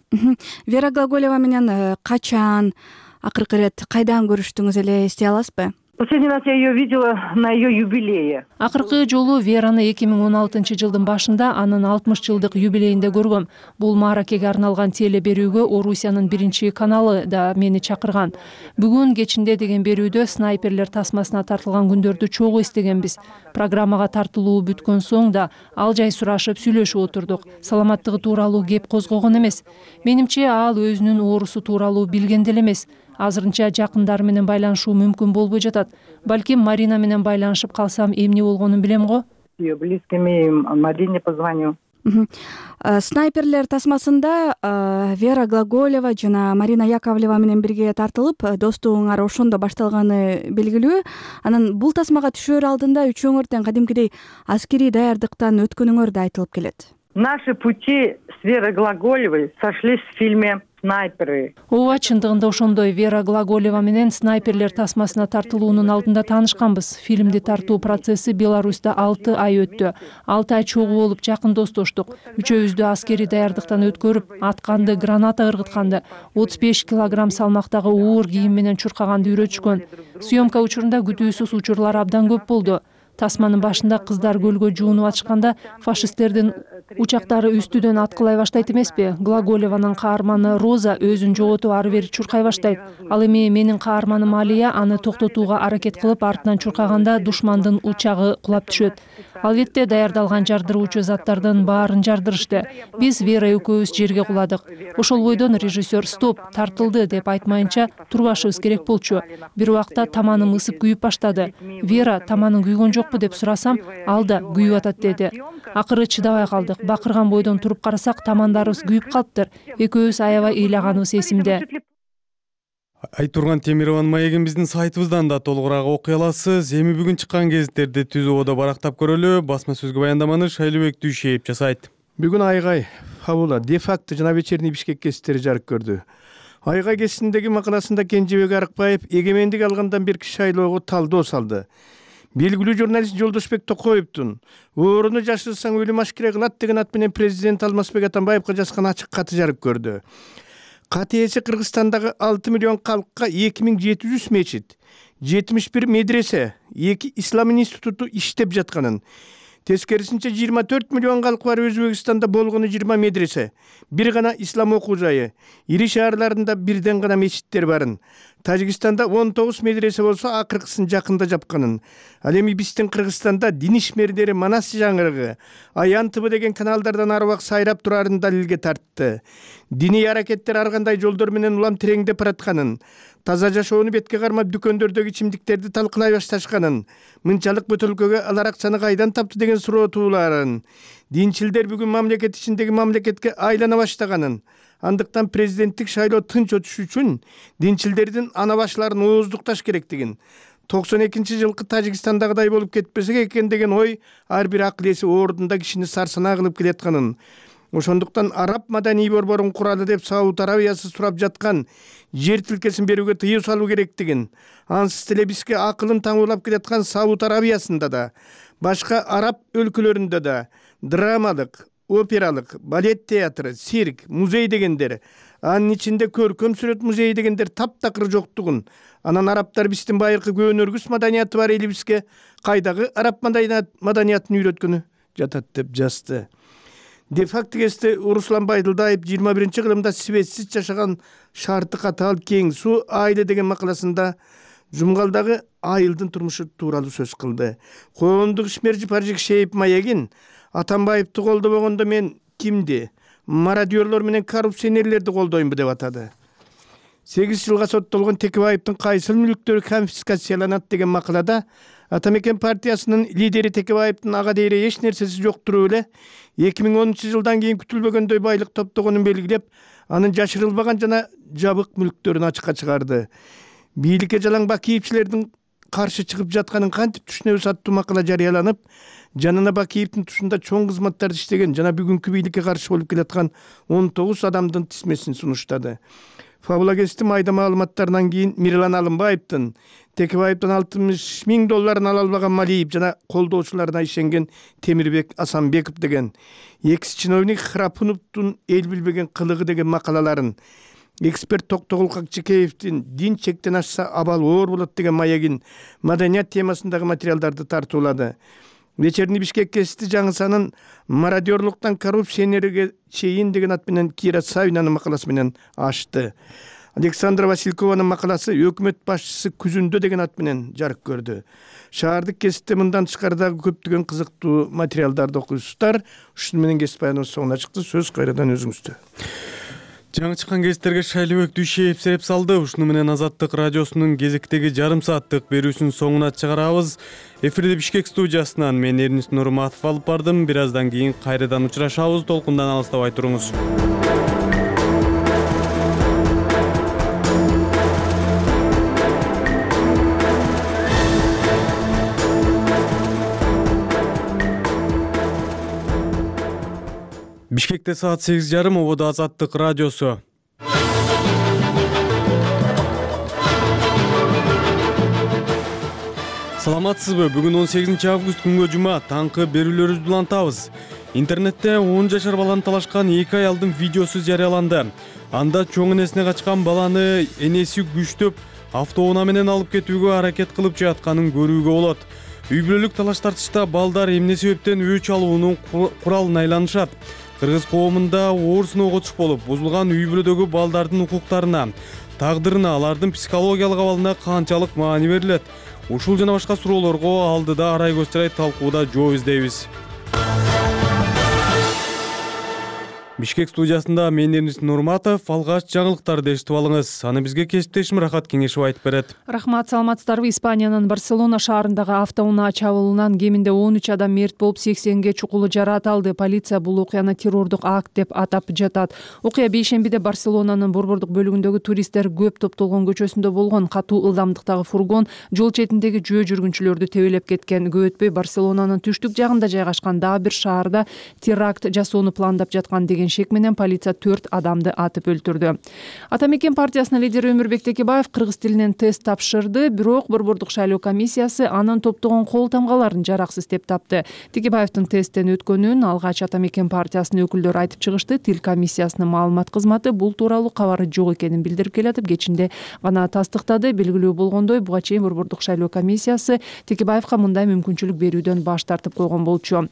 Вера Глаголева менен качан, акыркы ирет кайдан көрүштүңүз эле эстей аласызбы? Последний раз я ее видела на ее юбилее. Акыркы жолу Вераны эки миң он алтынчы жылдын башында анын алтымыш жылдык юбилейинде көргөм. Бул мааракеге арналган теле берүүгө Орусиянын биринчи каналы да мени чакырган. Бүгүн кечинде деген берүүдө снайперлер тасмасына тартылган күндөрдү чогуу эстегенбиз. Программага тартылуу бүткөн соң да ал жай сурашып сүйлөшүп отурдук. Саламаттыгы тууралуу кеп козгогон эмес. Менимче ал өзүнүн оорусу тууралуу билген деле эмес. Азырынча жакындары менен байланышуу мүмкүн болбой жатат. Балким Марина менен байланышып калсам эмне болгонун билем го. Близкими Марине позвоню. Снайперлер тасмасында Вера Глаголева жана Марина Яковлева менен бирге тартылып, достугуңар ошондо башталганы белгилүү. Анан бул тасмага түшөр алдында үчөөңөр тең кадимкидей аскерий даярдыктан өткөнүңөр да айтылып келет. Наши пути с Верой Глаголевой сошлись в фильме «Снайперы». Ооба, чындыгында ошондой. Вера Глаголева менен снайперлер тасмасына тартылуунун алдында таанышканбыз. Фильмди тартуу процесси Беларуста алты ай өттү. алты ай чогуу болуп жакын достоштук. Үчөөбүздү аскерий даярдыктан өткөрүп, атканды, граната ыргытканды, отуз беш килограмм салмактагы оор кийим менен чуркаганды үйрөтүшкөн. Съемка учурунда күтүүсүз учурлар абдан көп болду. Тасманын башында кыздар көлгө жуунуп атышканда фашисттердин учактары үстүдөн аткылай баштайт эмеспи? Глаголеванын каарманы Роза өзүн жоготуп ары бери чуркай баштайт. Ал эми менин каарманым Алия аны токтотууга аракет кылып артынан чуркаганда душмандын учагы кулап түшөт. Албетте даярдалган жардыруучу заттардын баарын жардырышты. Биз Вера экөөбүз жерге куладык. Ошол бойдон режиссер «Стоп, тартылды» деп айтмайынча турбашыбыз керек болчу. Бир убакта таманым ысып күйүп баштады. Вера, таманың күйгөн жокпу деп сурасам, ал да күйүп атат деди. Акыры чыдабай калдык. Бакырган бойдон туруп карасак, тамандарыбыз күйүп калыптыр. Экөөбүз аябай ыйлаганыбыз эсимде. Айтурган Темированын маегин биздин сайтыбыздан да толугураак окуй аласыз. Эми бүгүн чыккан гезиттерди түз ободо барактап көрөлү. Басма сөзгө баяндаманы Шайлыбек Дүйшеев жасайт. Бүгүн Айгай, Фабула, де-факто жана вечерний Бишкек гезиттери жарык көрдү. Айгай гезитиндеги макаласында Кенжебек Арыкбаев эгемендик алгандан берки шайлоого талдоо салды. Белгилүү журналист Жолдошбек Токоевдун «Ооруну жашырсаң өлүм ашкере кылат» деген ат менен президент Алмазбек Атамбаевга жазган ачык каты жарык көрдү. Кат ээси Кыргызстандагы алты миллион калкка эки миң жети жүз мечит, жетимиш бир медресе, эки ислам институту иштеп жатканын, тескерисинче жыйырма төрт миллион калкы бар Өзбекстанда болгону жыйырма медресе, бир гана ислам окуу жайы, ири шаарларында бирден гана мечиттер барын, Тажикстанда он тогуз медресе болсо акыркысын жакында жапканын, ал эми биздин Кыргызстанда дин ишмерлери Манас жаңырыгы, Аян ТВ деген каналдардан арбак сайрап турарын далилге тартты. Диний аракеттер ар кандай жолдор менен улам тереңдеп баратканын, таза жашоону бетке кармап дүкөндөрдөгү ичимдиктерди талкылай башташканын, мынчалык бөтөлкөгө алар акчаны кайдан тапты деген суроо тууларын, динчилдер бүгүн мамлекет ичиндеги мамлекетке айлана баштаганын, андыктан президенттик шайлоо тынч өтүш үчүн динчилдердин ана башларын ооздукташ керектигин, токсон экинчи жылкы Тажикстандагыдай болуп кетпесек экен деген ой ар бир акыл эси ордунда кишини сарсанаа кылып келатканын, ошондуктан араб маданий борборун куралы деп Сауд Арабиясы сурап жаткан жер тилкесин берүүгө тыюу салуу керектигин, ансыз деле бизге акылын таңуулап келаткан Сауд Арабиясында да, башка араб өлкөлөрүндө да драмалык, опералык, балет театры, цирк, музей дегендер, анын ичинде көркөм сүрөт музейи дегендер таптакыр жоктугун, анан арабтар биздин байыркы көөнөргүс маданияты бар элибизге кайдагы араб маданиятын үйрөткөнү жатат деп жазды. Де-факто кесте Руслан Байдылдаев жыйырма биринчи кылымда себепсиз жашаган шарты катаал кең суу айылы деген макаласында Жумгалдагы айылдын турмушу тууралуу сөз кылды. Коомдук ишмер Жыпаржик Шейип Маегин Атамбаевди колдобогондо мен кимди, мародёрлор менен коррупционерлерди колдоймбу деп атады. сегиз жылга соттолгон Текебаевдин кайсыл мүлктөрү конфискацияланат деген макалада Атамекен партиясынын лидери Текебаевдин ага дейре эч нерсеси жок туруп эле эки миң онунчу жылдан кийин күтүлбөгөндөй байлык топтогонун белгилеп, анын жашырылбаган жана жабык мүлктөрүн ачыкка чыгарды. Бийликке жалаң Бакиевчилердин каршы чыгып жатканын кантип түшүнөбүз аттуу макала жарыяланып, жанына Бакиевдин тушунда чоң кызматтарды иштеген жана бүгүнкү бийликке каршы болуп келаткан он тогуз адамдын тизмесин сунуштады. Фабула гезити майда маалыматтарынан кийин Мирлан Алымбаевдин Текебаевдин алтымыш миң долларын ала албаган Малиев жана колдоочуларына ишенген Темирбек Асанбеков деген, экс чиновник Храпуновдун эл билбеген кылыгы деген макалаларын, эксперт Токтогул Какчыкеевдин дин чектен ашса абал оор болот деген маегин маданият темасындагы материалдарды тартуулады. Вечерний Бишкек гезити жаңысанын мародерлуктан коррупцияга чейин деген ат менен Кира Савинанын макаласы менен ачты. Александра Василькованын макаласы өкмөт башчысы күзүндө деген ат менен жарык көрдү. Шаардык гезитте мындан тышкары көптөгөн кызыктуу материалдарды окуйсуздар. Ушуну менен гезит баяныбыз соңуна чыкты. Сөз кайрадан өзүңүздө. Жаңы чыккан гезиттерге Шайлыбек Дүйшеев сереп салды. Ушуну менен Азаттык радиосунун кезектеги жарым сааттык берүүсүнүн соңуна чыгарабыз. Эфирде Бишкек студиясынан мен Эрнис Нурматов алып бардым. Бир аздан кийин кайрадан учурашабыз. Толкундан алыстабай туруңуз. Бишкекте саат сегиз жарым, ободо Азаттык радиосу. Саламатсызбы? Бүгүн он сегизинчи август күнгө жума, таңкы берүүлөрүбүздү улантабыз. Интернетте он жашар баланы талашкан эки аялдын видеосу жарыяланды. Анда чоң энесине качкан баланы энеси күчтөп автоунаа менен алып кетүүгө аракет кылып жатканын көрүүгө болот. Үй бүлөлүк талаш тартышта балдар эмне себептен өч алуунун куралын айланышат? Кыргыз коомунда оор сыноого туш болуп, бузулган үй бүлөдөгү балдардын укуктарына, тагдырына, алардын психологиялык абалына канчалык маани берилет? Ушул жана башка суроолорго алдыда Арай Көччарай талкууда жооп издейбиз. Бишкек студиясында мен Эрнис Нурматов, алгач жаңылыктарды эшитип алыңыз. Аны бизге кесиптешим Рахат Кеңешев айтып берет. Рахмат, саламатсыздарбы? Испаниянын Барселона шаарындагы автоунаа чабуулунан кеминде он үч адам мерт болуп, сексенге чукулу жараат алды. Полиция бул окуяны террордук акт деп атап жатат. Окуя бейшембиде Барселонанын борбордук бөлүгүндөгү туристтер көп топтолгон көчөсүндө болгон. Катуу ылдамдыктагы фургон жол четиндеги жөө жүргүнчүлөрдү тебелеп кеткен. Көп өтпөй Барселонанын түштүк жагында жайгашкан дагы бир шаарда теракт жасоону пландап жаткан деген шек менен полиция төрт адамды атып өлтүрдү. Ата мекен партиясынын лидери Өмүрбек Текебаев кыргыз тилинен тест тапшырды, бирок борбордук шайлоо комиссиясы анын топтогон кол тамгаларын жараксыз деп тапты. Текебаевдин тесттен өткөнүн алгач Ата мекен партиясынын өкүлдөрү айтып чыгышты. Тил комиссиясынын маалымат кызматы бул тууралуу кабары жок экенин билдирип келатып, кечинде гана тастыктады. Белгилүү болгондой, буга чейин борбордук шайлоо комиссиясы Текебаевка мындай мүмкүнчүлүк берүүдөн баш тартып койгон болчу.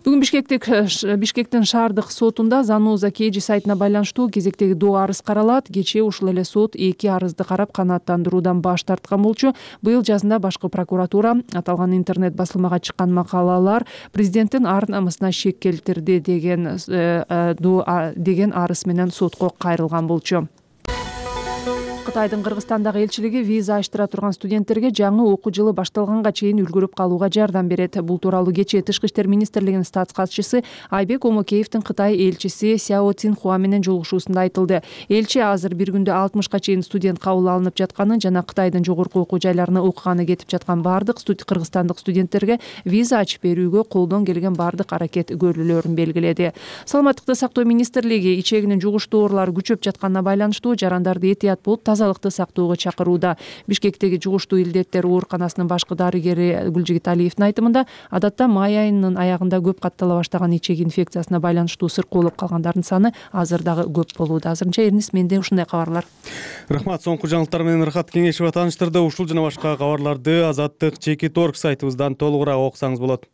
Бүгүн Бишкектик Бишкектин шаардык сотунда Зануза Кеji сайтына байланыштуу кезектеги доо арыз каралат. Кечээ ушул эле сот эки арызды карап канааттандыруудан баш тарткан болчу. Быйыл жазында башкы прокуратура аталган интернет басылмага чыккан макалалар президенттин ар намысына шек келтирди деген деген арыз менен сотко кайрылган болчу. Кытайдын Кыргызстандагы элчилиги виза ачтыра турган студенттерге жаңы окуу жылы башталганга чейин үлгүрүп калууга жардам берет. Бул тууралуу кечээ Тышкы иштер министрлигинин статс катчысы Айбек Омокеевдин Кытай элчиси Сяо Цинхуа менен жолугушуусунда айтылды. Элчи азыр бир күндө алтымышка чейин студент кабыл алынып жатканын жана Кытайдын жогорку окуу жайларына окуганы кетип жаткан бардык кыргызстандык студенттерге виза ачып берүүгө колдон келген бардык аракет көрүлөөрүн белгиледи. Саламаттыкты сактоо министрлиги ичегинин жугуштуу оорулары күчөп жатканына байланыштуу жарандарды этият болуп тазалыкты сактоого чакырууда. Бишкектеги жугуштуу илдеттер ооруканасынын башкы дарыгери Гүлжигит Алиевдин айтымында, адатта май айынын аягында көп каттала баштаган ичек инфекциясына байланыштуу сыркоолуп калгандардын саны азыр дагы көп болууда. Азырынча Эрнис, менде ушундай кабарлар. Рахмат, соңку жаңылыктар менен Рахат Кеңешева тааныштырды. Ушул жана башка кабарларды Азаттык чекит орг сайтыбыздан толугураак окусаңыз болот.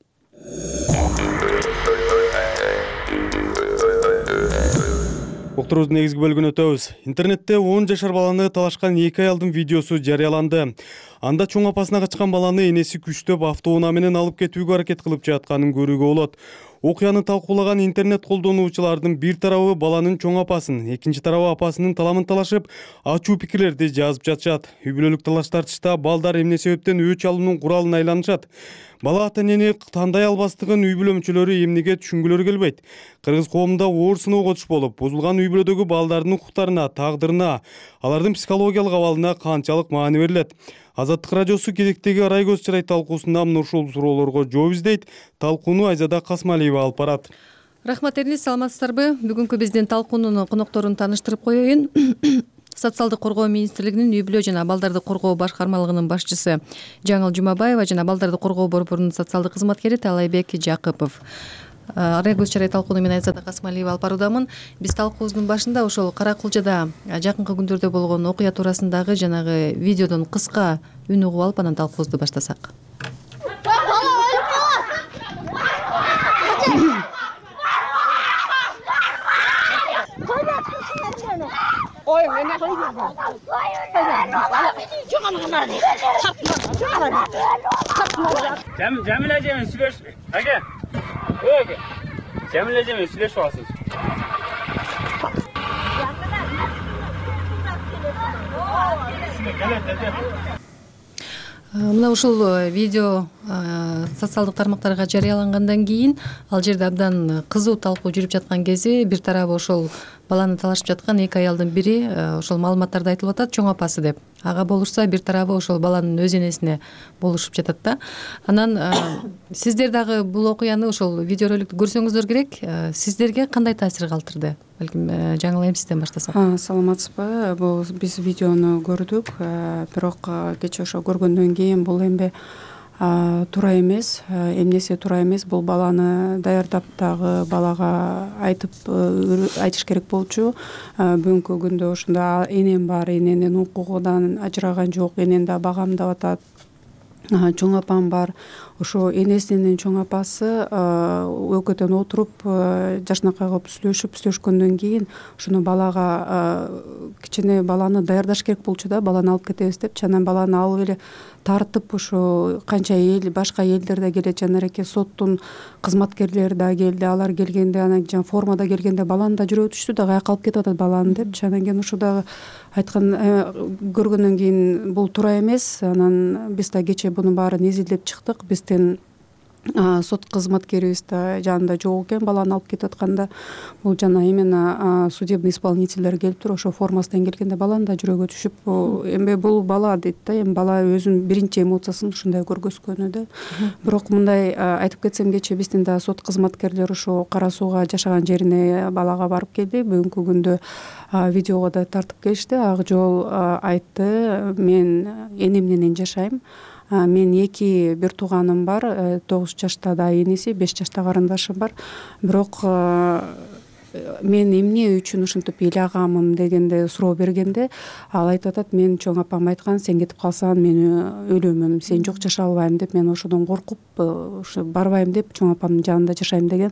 Уктуруубуздун негизги бөлүгүнө өтөбүз. Интернетте он жашар баланы талашкан эки аялдын видеосу жарыяланды. Анда чоң апасына качкан баланы энеси күчтөп автоунаа менен алып кетүүгө аракет кылып жатканын көрүүгө болот. Окуяны талкуулаган интернет колдонуучулардын бир тарабы баланын чоң апасын, экинчи тарабы апасынын таламын талашып, ачуу пикирлерди жазып жатышат. Үй бүлөлүк талаш тартышта балдар эмне себептен өч алуунун куралын айланышат? Бала ата-энени тандай албастыгын үй бүлө мүчөлөрү эмнеге түшүнгүлөрү келбейт? Кыргыз коомунда оор сыноого туш болуп, бузулган үй бүлөдөгү балдардын укуктарына, тагдырына, алардын психологиялык абалына канчалык маани берилет? Азаттык радиосу кезектеги Арай Көччарай талкуусунда мына ушул суроолорго жооп издейт. Талкууну Айзада Касмалиева алып барат. Рахмат, Эрнис, саламатсыздарбы? Бүгүнкү биздин талкуунун конокторун тааныштырып коеюн. Социалдык коргоо министрлигинин үй бүлө жана балдарды коргоо башкармалыгынын башчысы Жаңыл Жумабаева жана балдарды коргоо борборунун социалдык кызматкери Талайбек Жакыпов. арай көз чарай талкууну мен Айзада Касымалиева алып баруудамын. Биз талкуубуздун башында ошол Кара Кулжада жакынкы күндөрдө болгон окуя туурасындагы жанагы видеодон кыска үн угуп алып анан талкуубузду баштасак. Ой, эне койгон. Жамил эжемен сүйлөш. Аке. Ой, Жамил эжемен сүйлөшүп аласыз. Мына ушул видео социалдык тармактарга жарыялангандан кийин ал жерде абдан кызуу талкуу жүрүп жаткан кези бир тарабы ошол баланы талашып жаткан эки аялдын бири ошол маалыматтарды айтылып атат, чоң апасы деп. Ага болушса бир тарабы ошол баланын өз энесине болушуп жатат да. Анан сиздер дагы бул окуяны ошол видеороликтү көрсөңүздөр керек. Сиздерге кандай таасир калтырды? Балким Жаңыл айым сизден баштасак. Саламатсызбы? Бул биз видеону көрдүк, бирок кечээ ошо көргөндөн кийин бул эми туура эмес, эмнеси туура эмес, бул баланы даярдап дагы балага айтып айтыш керек болчу. Бүгүнкү күндө ушунда энем бар, эненин укугунан ажыраган жок, энени да багамдап атат. Чоң апам бар. Ошо энесинин чоң апасы өкөтөн отуруп жашынакай кылып сүйлөшүп сүйлөшкөндөн кийин ушуну балага кичине баланы даярдаш керек болчу да, баланы алып кетебиз депчи. Анан баланы алып эле тартып ушу канча эл башка элдер да келет, жанареке соттун кызматкерлери да келди. Алар келгенде анан жана формада келгенде баланы да жүрө өтүштү да, каяка алып кетип атат баланы депчи. Анан кийин ушу дагы айткан көргөндөн кийин бул туура эмес. Анан биз да кечээ бунун баарын изилдеп чыктык. Биздин сот кызматкерибиз да жанында жок экен баланы алып кетип атканда. Бул жана именно судебный исполнительдер келип туруп ошо формасынан келгенде баланы да жүрөгү түшүп, эми бул бала дейт да, эми бала өзүнүн биринчи эмоциясын ушундай көргөзгөнү да. Бирок мындай айтып кетсем, кечээ биздин да сот кызматкерлери ошо Кара Сууга жашаган жерине балага барып келди. Бүгүнкү күндө видеого да тартып келишти. Ак жол айтты: мен энем менен жашайм. Мен эки бир тууганым бар, тогуз жашта да энеси, беш жашта карындашым бар. Бирок мен эмне үчүн ушинтип ыйлагамын дегенде суроо бергенде ал айтып атат: мен чоң апам айткан, сен кетип калсаң мен өлөмүн, сен жок жашай албайм деп, мен ошодон коркуп ушу барбайм деп чоң апамдын жанында жашайм деген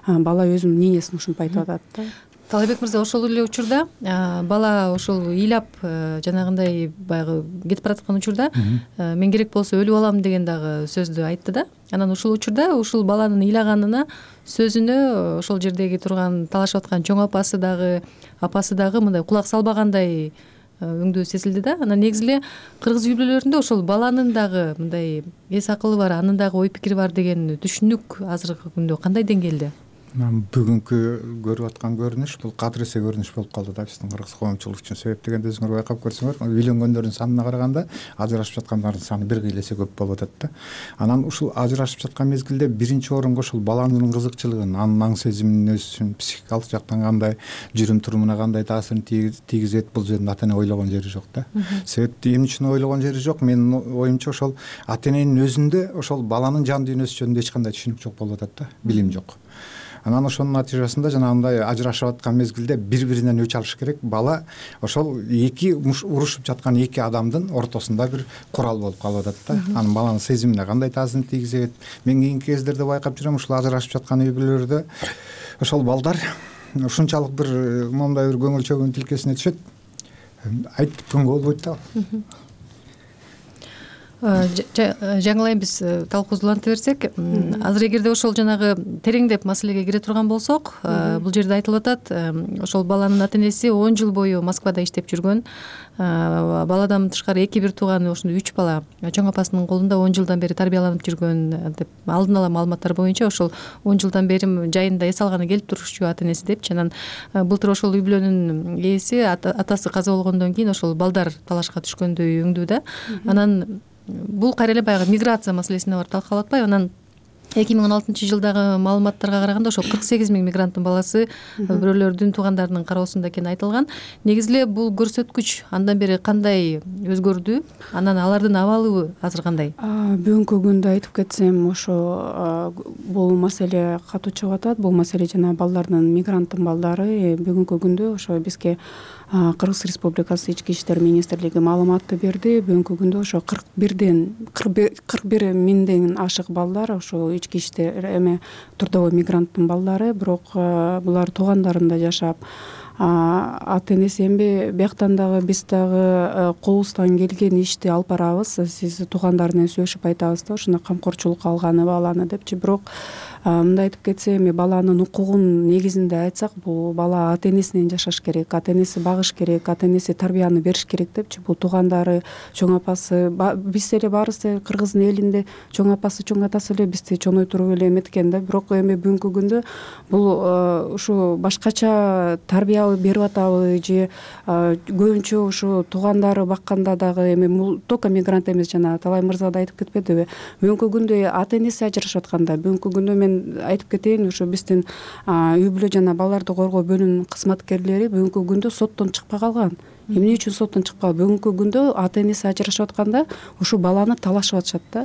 бала өзүнүн мнениясын ушинтип айтып атат да. Талайбек мырза, ошол эле учурда бала ошол ыйлап жанагындай баягы кетип бараткан учурда мен керек болсо өлүп алам деген дагы сөздү айтты да. Анан ушул учурда ушул баланын ыйлаганына, сөзүнө ошол жердеги турган талашып аткан чоң апасы дагы, апасы дагы мындай кулак салбагандай өңдүү сезилди да. Анан негизи эле кыргыз үй бүлөлөрүндө ошол баланын дагы мындай эс акылы бар, анын дагы ой пикири бар деген түшүнүк азыркы күндө кандай деңгээлде? Бүгүнкү көрүп аткан көрүнүш бул кадыресе көрүнүш болуп калды да биздин кыргыз коомчулук үчүн. Себеп дегенде өзүңөр байкап көрсөңөр, үйлөнгөндөрдүн санына караганда ажырашып жаткандардын саны бир кыйла эсе көп болуп атат да. Анан ушул ажырашып жаткан мезгилде биринчи орунга ушул баланын кызыкчылыгын, анын аң сезимин, өзүнүн психикалык жактан кандай, жүрүм турумуна кандай таасирин тийгизет, бул жерде ата эне ойлогон жери жок да. Себепти эмне үчүн ойлогон жери жок? Менин оюмча ошол ата эненин өзүндө ошол баланын жан дүйнөсү жөнүндө эч кандай түшүнүк жок болуп атат да, билим жок. Анан ошонун натыйжасында жанагындай ажырашып аткан мезгилде бири-биринен өч алыш керек. Бала ошол эки урушуп жаткан эки адамдын ортосунда бир курал болуп калып атат да. Анын баланын сезимине кандай таасирин тийгизет? Мен кийинки кездерде байкап жүрөм, ушул ажырашып жаткан үй бүлөлөрдө ошол балдар ушунчалык бир момундай бир көңүл чөгүн тилкесине түшөт. Айтып күнгө болбойт да. Жаңыл айым, биз талкуубузду уланта берсек, азыр эгерде ошол жанагы тереңдеп маселеге кире турган болсок, бул жерде айтылып атат, ошол баланын ата энеси он жыл бою Москвада иштеп жүргөн. Баладан тышкары эки бир тууганы, ошондой үч бала чоң апасынын колунда он жылдан бери тарбияланып жүргөн деп алдын ала маалыматтар боюнча ошол он жылдан бери жайында эс алганы келип турушчу ата энеси депчи. Анан былтыр ошол үй бүлөнүн ээси атасы каза болгондон кийин ошол балдар талашка түшкөндөй өңдүү да. Анан бул кайра эле баягы миграция маселесине барып талкалап атпайбы? Анан эки миң он алтынчы жылдагы маалыматтарга караганда ошол кырк сегиз миң мигранттын баласы бирөөлөрдүн туугандарынын кароосунда экени айтылган. Негизи эле бул көрсөткүч андан бери кандай өзгөрдү? Анан алардын абалы азыр кандай? Бүгүнкү күндө айтып кетсем, ошо бул маселе катуу чыгып атат. Бул маселе жана балдардын, мигранттын балдары бүгүнкү күндө ошо бизге Кыргыз Республикасы ички иштер министрлиги маалыматты берди. Бүгүнкү күндө ошо кырк бирден кырк бир миңден ашык балдар ошо ички иштер эме трудовой мигранттын балдары, бирок булар туугандарында жашап, ата энеси эмне бияктан дагы биз дагы колубуздан келген ишти алып барабыз, сиз туугандар менен сүйлөшүп айтабыз да, ушуна камкорчулукка алганы баланы депчи. Бирок мындай айтып кетсе, эми баланын укугун негизинде айтсак, бул бала ата энесинен жашаш керек, ата энеси багыш керек, ата энеси тарбияны бериш керек депчи. Бул туугандары, чоң апасы, биз эле баарыбыз кыргыздын элинде чоң апасы, чоң атасы эле бизди чоңойтуруп эле эметкен да. Бирок эми бүгүнкү күндө бул ушу башкача тарбия берип атабы же көбүнчө ушу туугандары бакканда дагы эми только мигрант эмес, жана Талай мырза да айтып кетпедиби, бүгүнкү күндө ата энеси ажырашып атканда, бүгүнкү күндө мен айтып кетейин, ушу биздин үй бүлө жана балдарды коргоо бөлүмүнүн кызматкерлери бүгүнкү күндө соттон чыкпай калган. Эмне үчүн соттон чыкпаган? Бүгүнкү күндө ата энеси ажырашып атканда ушу баланы талашып атышат да.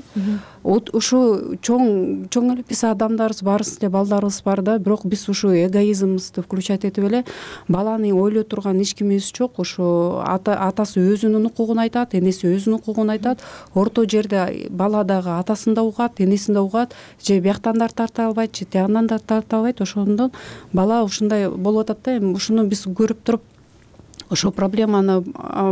Ушу чоң чоң эле биз адамдарбыз, баарыбыз эле балдарыбыз бар да, бирок биз ушу эгоизмибизди включать этип эле баланы ойлой турган эч кимибиз жок. Ушу атасы өзүнүн укугун айтат, энеси өзүнүн укугун айтат. Орто жерде бала дагы атасын да угат, энесин да угат, же бияктан да тарта албайт, же тиягынан да тарта албайт. Ошондон бала ушундай болуп атат да. Эми ушуну биз көрүп туруп ошо проблеманы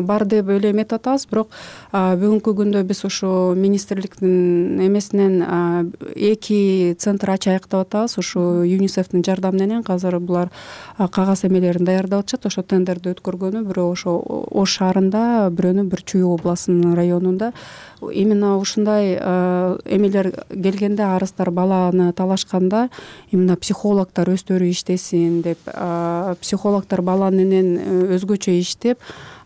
бар деп эле эметип атабыз. Бирок бүгүнкү күндө биз ошо министрликтин эмесинен эки центр ачайык деп атабыз. Ошо ЮНИСЕФтин жардамы менен азыр булар кагаз эмелерин даярдап атышат. Ошо тендерди өткөргөнү, бирөө ошо Ош шаарында, бирөөнү бир Чүй областынын районунда. Именно ушундай эмелер келгенде, арыздар баланы талашканда, именно психологдор өздөрү иштесин деп, психологдор бала менен өзгөчө иштеп,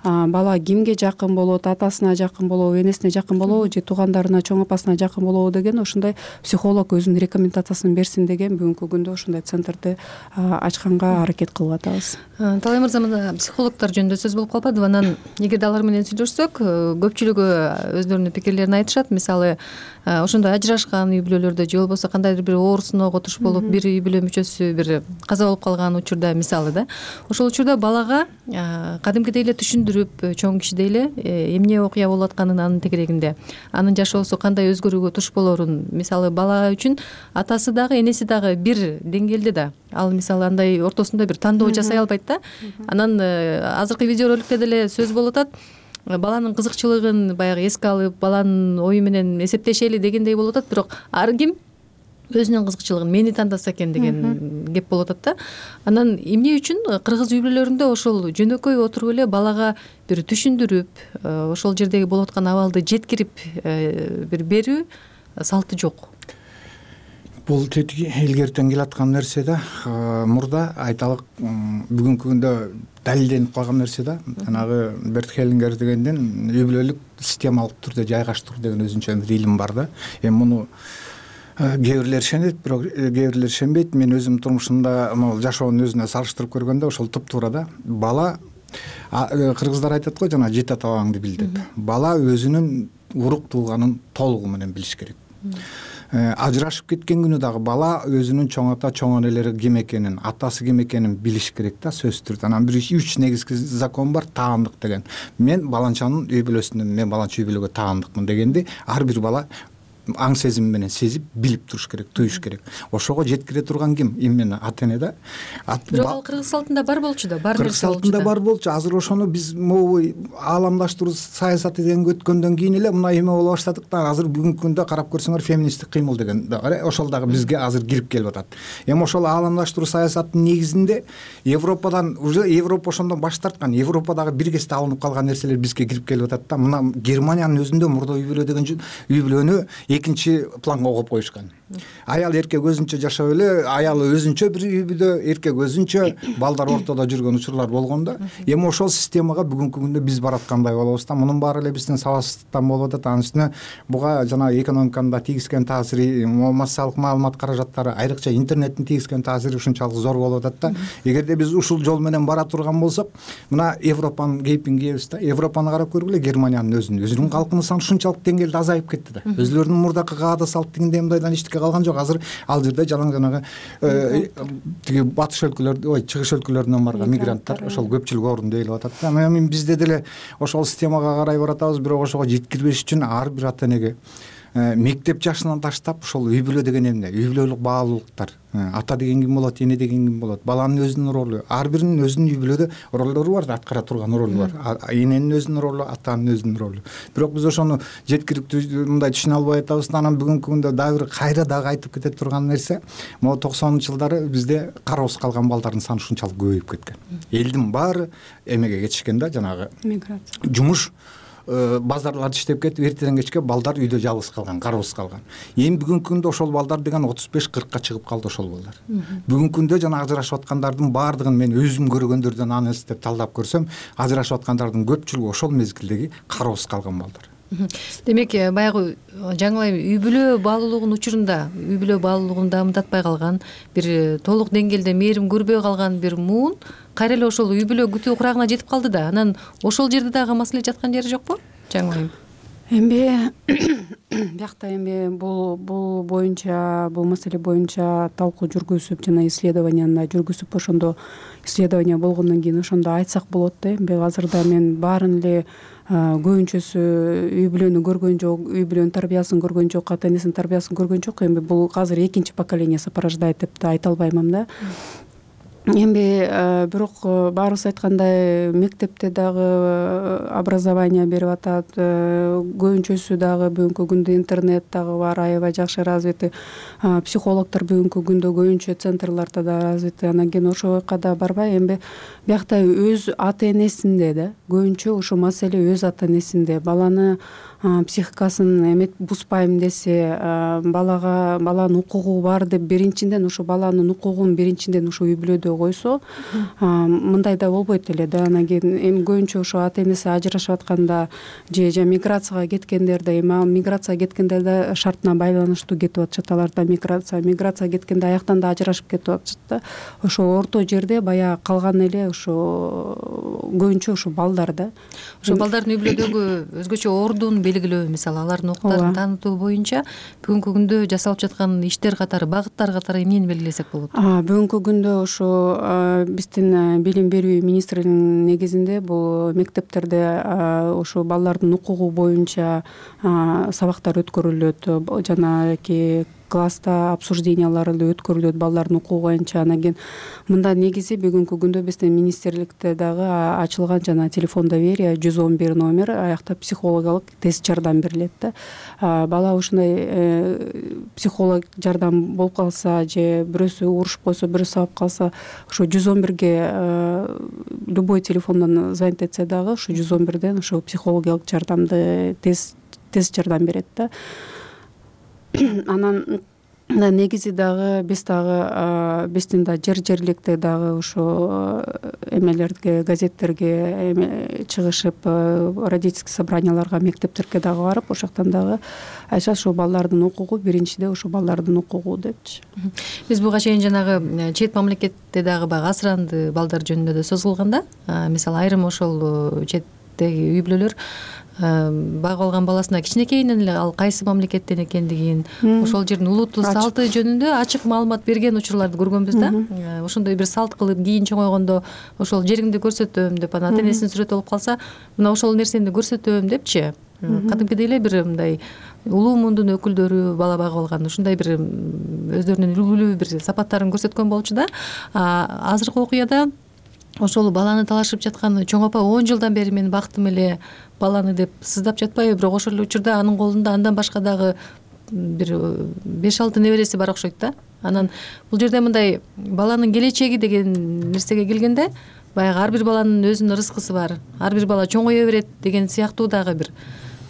бала кимге жакын болот, атасына жакын болобу, энесине жакын болобу, же туугандарына, чоң апасына жакын болобу деген ошондой психолог өзүнүн рекомендациясын берсин деген бүгүнкү күндө ошондой центрди ачканга аракет кылып атабыз. Талай мырза, психологдор жөнүндө сөз болуп калбадыбы? Анан эгерде алар менен сүйлөшсөк, көпчүлүгү өздөрүнүн пикирлерин айтышат. Мисалы, ошондой ажырашкан үй бүлөлөрдө же болбосо кандайдыр бир оор сыноого туш болуп, бир үй бүлө мүчөсү бир каза болуп калган учурда, мисалы да, ошол учурда балага кадимкидей эле түшүндүрүп, чоң кишидей эле эмне окуя болуп атканын анын тегерегинде, анын жашоосу кандай өзгөрүүгө туш болорун, мисалы бала үчүн атасы дагы, энеси дагы бир деңгээлде да, ал мисалы андай ортосунда бир тандоо жасай албайт да. Анан азыркы видеороликте деле сөз болуп атат, баланын кызыкчылыгын баягы эске алып, баланын ою менен эсептешели дегендей болуп атат. Бирок ар ким өзүнүн кызыкчылыгын мени тандаса экен деген кеп болуп атат да. Анан эмне үчүн кыргыз үй бүлөлөрүндө ошол жөнөкөй отуруп эле балага бир түшүндүрүп, ошол жердеги болуп аткан абалды жеткирип бир берүү салты жок? Бул тетиги илгертен келаткан нерсе да. Мурда айталык, бүгүнкү күндө далилденип калган нерсе да. Жанагы Берт Хеллингер дегенден үй бүлөлүк системалык түрдө жайгаштыруу деген өзүнчө бир илим бар да. Эми муну кээ бирлер ишенет, бирок кээ бирлер ишенбейт. Мен өзүм турмушумда могу жашоонун өзүнө салыштырып көргөндө ошол туптуура да. Бала, кыргыздар айтат го, жана жете ата бабаңды бил деп. Бала өзүнүн урук тууганын толугу менен билиш керек. Ажырашып кеткен күнү дагы бала өзүнүн чоң ата, чоң энелери ким экенин, атасы ким экенин билиш керек да, сөзсүз түрдө. Анан бир үч негизги закон бар, таандык деген. Мен баланчанын үй бүлөсүнөн, мен баланча үй бүлөгө таандыкмын дегенди ар бир бала аң сезим менен сезип, билип туруш керек, туюш керек. Ошого жеткире турган ким? Именно ата эне да. Бирок ал кыргыз салтында бар болчу да, бар кыргыз салтында бар болчу. Азыр ошону биз могу ааламдаштыруу саясаты деген өткөндөн кийин эле мына эме боло баштадык да. Азыр бүгүнкү күндө карап көрсөңөр феминисттик кыймыл деген да, ошол дагы бизге азыр кирип келип атат. Эми ошол ааламдаштыруу саясатынын негизинде Европадан, уже Европа ошондон баш тарткан, Европадагы бир кезде алынып калган нерселер бизге кирип келип атат да. Мына Германиянын өзүндө мурда үй бүлө деген үй бүлөнү экинчи планга коюп коюшкан. Аял эркек өзүнчө жашап эле, аялы өзүнчө бир үй бүдө, эркек өзүнчө, балдар ортодо жүргөн учурлар болгон да. Эми ошол системага бүгүнкү күндө биз бараткандай болобуз да. Мунун баары эле биздин сабатсыздыктан болуп атат. Анын үстүнө буга жанагы экономиканын да тийгизген таасири, массалык маалымат каражаттары, айрыкча интернеттин тийгизген таасири ушунчалык зор болуп атат да. Эгерде биз ушул жол менен бара турган болсок, мына Европанын кейпин кийебиз да. Европаны карап көргүлө, Германиянын өзүн. Өзүнүн калкынын саны ушунчалык деңгээлде азайып кетти да. Өзүлөрүнүн мурдакы каада салттыгинде мындайдан эчтеке калган жок. Азыр ал жерде жалаң жанагы тиги батыш өлкөлөрдө, ой, чыгыш өлкөлөрүнөн барган мигранттар ошол көпчүлүк орунду ээлеп атат да. Эми бизде деле ошол системага карай баратабыз, бирок ошого жеткирбеш үчүн ар бир ата энеге мектеп жашынан таштап ошол үй бүлө деген эмне, үй бүлөлүк баалуулуктар, ата деген ким болот, эне деген ким болот, баланын өзүнүн ролу, ар биринин өзүнүн үй бүлөдө ролдору бар, аткара турган ролу бар. Эненин өзүнүн ролу, атанын өзүнүн ролу. Бирок биз ошону жеткириктүү мындай түшүнө албай атабыз да. Анан бүгүнкү күндө дагы бир кайра дагы айтып кете турган нерсе, могу токсонунчу жылдары бизде кароосуз калган балдардын саны ушунчалык көбөйүп кеткен. Элдин баары эмеге кетишкен да, жанагы миграция, жумуш, базарларда иштеп кетип, эртеден кечке балдар үйдө жалгыз калган, кароосуз калган. Эми бүгүнкү күндө ошол балдар деген отуз беш кыркка чыгып калды ошол балдар. Бүгүнкү күндө жана ажырашып аткандардын баардыгын мен өзүм көргөндөрдөн анализ деп талдап көрсөм, ажырашып аткандардын көпчүлүгү ошол мезгилдеги кароосуз калган балдар. Демек, баягы жаңылайм үй бүлө баалуулугунун учурунда, үй бүлө баалуулугун дамытатпай калган, бир толук деңгээлде мээрим көрбөй калган бир муун кайра эле ошол үй бүлө күтүү курагына жетип калды да. Анан ошол жерде дагы маселе жаткан жери жокпу? Жаңылайм. Эми биякта эми бул бул боюнча, бул маселе боюнча талкуу жүргүзүп, жана исследованияны жүргүзүп, ошондо исследование болгондон кийин ошондо айтсак болот да. Эми азырда мен баарын эле көбүнчөсү үй бүлөнү көргөн жок, үй бүлөнүн тарбиясын көргөн жок, ата энесинин тарбиясын көргөн жок. Эми бул азыр экинчи поколение порождает деп да айта албаймын да. Эми бирок баарыбыз айткандай, мектепте дагы образование берип атат, көбүнчөсү дагы бүгүнкү күндө интернет дагы бар, аябай жакшы развиты, психологдор бүгүнкү күндө көбүнчө центрларда да развиты. Анан кийин ошол жака да барбай, эми биякта өз ата энесинде да, көбүнчө ошо маселе өз ата энесинде. Баланы психикасын эмет бузбайм десе, балага баланын укугу бар деп биринчиден ошо баланын укугун биринчиден ошо үй бүлөдө койсо, мындай да болбойт эле да. Анан кийин эми көбүнчө ошо ата энеси ажырашып атканда же же миграцияга кеткендерде, эми миграцияга кеткендерде шартына байланыштуу кетип атышат. Аларда миграция, миграция кеткенде аяктан да ажырашып кетип атышат да. Ошо орто жерде баягы калган эле ошо көбүнчө ошо балдар да. Ошо балдардын үй бүлөдөгү өзгөчө ордун белгилөө, мисалы алардын укуктарын таанытуу боюнча бүгүнкү күндө жасалып жаткан иштер катары, багыттар катары эмнени белгилесек болот? Бүгүнкү күндө ошо биздин билим берүү министринин негизинде бул мектептерде ошо балдардын укугу боюнча сабактар өткөрүлөт, жанагы класста обсуждениялар өткөрүлөт балдардын укугу боюнча. Анан кийин мында негизи бүгүнкү күндө биздин министрликте дагы ачылган жана телефон доверия жүз он бир номер, аякта психологиялык тест жардам берилет да. Бала ушундай психолог жардам болуп калса же бирөөсү урушуп койсо, бирөөсү алып калса, ошо жүз он бирге любой телефондон звонить этсе дагы ошо жүз он бирден ошо психологиялык жардамды тест тест жардам берет да. Анан негизи дагы биз дагы биздин да жер жерликте дагы ошо эмелерге, газеттерге чыгышып, родительский собранияларга, мектептерге дагы барып, ошол жактан дагы айтышат ошо балдардын укугу биринчиде ошо балдардын укугу депчи. Биз буга чейин жанагы чет мамлекетте дагы баягы асыранды балдар жөнүндө да сөз кылган да. Мисалы айрым ошол четтеги үй бүлөлөр багып алган баласына кичинекейинен эле ал кайсы мамлекеттен экендигин, ошол жердин улутту салты жөнүндө ачык маалымат берген учурларды көргөнбүз да. Ошондой бир салт кылып кийин чоңойгондо ошол жериңди көрсөтөм деп, анан ата энесинин сүрөтү болуп калса, мына ошол нерсени көрсөтөм депчи. Кадимкидей эле бир мындай улуу мундун өкүлдөрү бала багып алган, ушундай бир өздөрүнүн үлгүлүү бир сапаттарын көрсөткөн болчу да. Азыркы окуяда ошол баланы талашып жаткан чоң апа он жылдан бери мен бактым эле баланы деп сыздап жатпайбы, бирок ошол учурда анын колунда андан башка дагы бир беш алты небереси бар окшойт да. Анан бул жерде мындай баланын келечеги деген нерсеге келгенде, баягы ар бир баланын өзүнүн рызкысы бар, ар бир бала чоңое берет деген сыяктуу дагы бир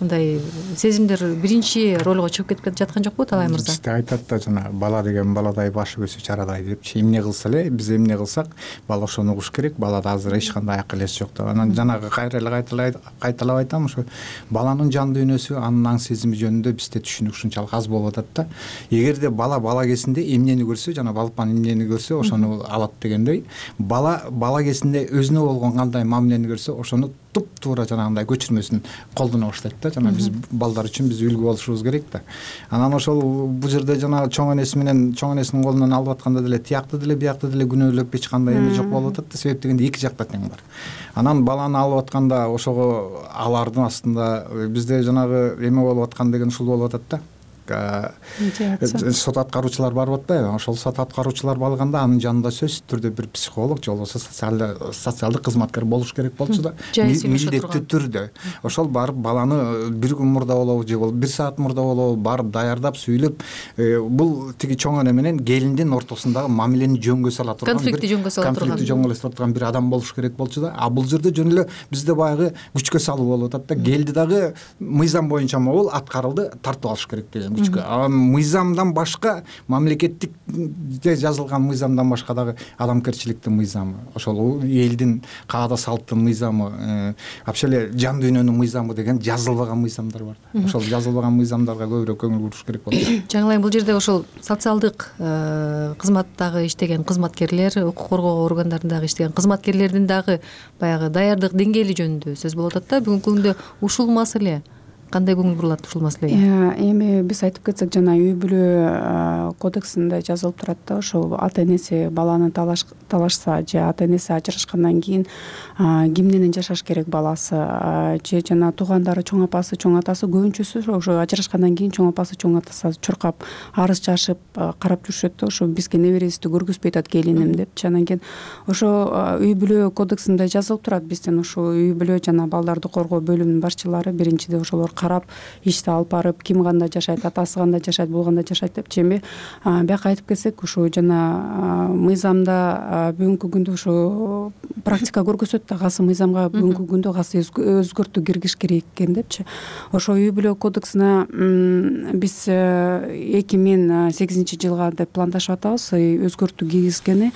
мындай сезимдер биринчи ролго чыгып кетип жаткан жокпу Талай мырза? Бизде айтат да жана бала деген баладай, башы көзү чарадай депчи. Эмне кылса эле, биз эмне кылсак бала ошону угуш керек. Балада азыр эч кандай акыл эс жок да. Анан жанагы кайра эле кайталап айтам, ошо баланын жан дүйнөсү, анын аң сезими жөнүндө бизде түшүнүк ушунчалык аз болуп атат да. Эгерде бала бала кезинде эмнени көрсө, жана балпан эмнени көрсө, ошону алат дегендей, бала бала кезинде өзүнө болгон кандай мамилени көрсө, ошону туп туура жанагындай көчүрмөсүн колдоно баштайт да. Жана биз балдар үчүн биз үлгү болушубуз керек да. Анан ошол бул жерде жана чоң энеси менен чоң энесинин колунан алып атканда деле тиякты деле биякты деле күнөөлөп эч кандай эме жок болуп атат да. Себеп дегенде эки жакта тең бар. Анан баланы алып атканда ошого алардын астында бизде жанагы эме болуп аткан деген ушул болуп атат да. Сот аткаруучулар барып атпайбы? Ошол сот аткаруучулар алганда анын жанында сөзсүз түрдө бир психолог же болбосо социалдык кызматкер болуш керек болчу да. Милдеттүү түрдө ошол барып баланы бир күн мурда болобу же болбосо бир саат мурда болобу барып даярдап сүйлөп, бул тиги чоң эне менен келиндин ортосундагы мамилени жөнгө сала турган, конфликти жөнгө сала турган, конфликти жөнгө сала турган бир адам болуш керек болчу да. А бул жерде жөн эле бизде баягы күчкө салуу болуп атат да. Келди дагы мыйзам боюнча могул аткарылды, тартып алыш керек деген. Анан мыйзамдан башка, мамлекеттикте жазылган мыйзамдан башка дагы адамгерчиликтин мыйзамы, ошол элдин каада салттын мыйзамы, вообще эле жан дүйнөнүн мыйзамы деген жазылбаган мыйзамдар бар да. Ошол жазылбаган мыйзамдарга көбүрөөк көңүл буруш керек болот. Жаңылайым, бул жерде ошол социалдык кызматтагы иштеген кызматкерлер, укук коргоо органдарындагы иштеген кызматкерлердин дагы баягы даярдык деңгээли жөнүндө сөз болуп атат да. Бүгүнкү күндө ушул маселе кандай көңүл бурулат ушул маселеге? Эми биз айтып кетсек, жана үй бүлө кодексинде жазылып турат да, ошол ата энеси баланы талашса же ата энеси ажырашкандан кийин ким менен жашаш керек баласы, же жана туугандары, чоң апасы, чоң атасы, көбүнчөсү ошо ажырашкандан кийин чоң апасы, чоң атасы чуркап, арыз жашып карап жүрүшөт да, ошо бизге неберебизди көргүзбөй атат келиним депчи. Анан кийин ошо үй бүлө кодексинде жазылып турат, биздин ушул үй бүлө жана балдарды коргоо бөлүмүнүн башчылары биринчиде ошолор карап, ишти алып барып, ким кандай жашайт, атасы кандай жашайт, бул кандай жашайт депчи. Эми бияка айтып кетсек, ушу жана мыйзамда бүгүнкү күндө ушу практика көргөзөт да, касы мыйзамга бүгүнкү күндө касы өзгөртүү киргизиш керек экен депчи. Ошо үй бүлө кодексине биз эки миң сегизинчи жылга деп пландашып атабыз, өзгөртүү киргизгени.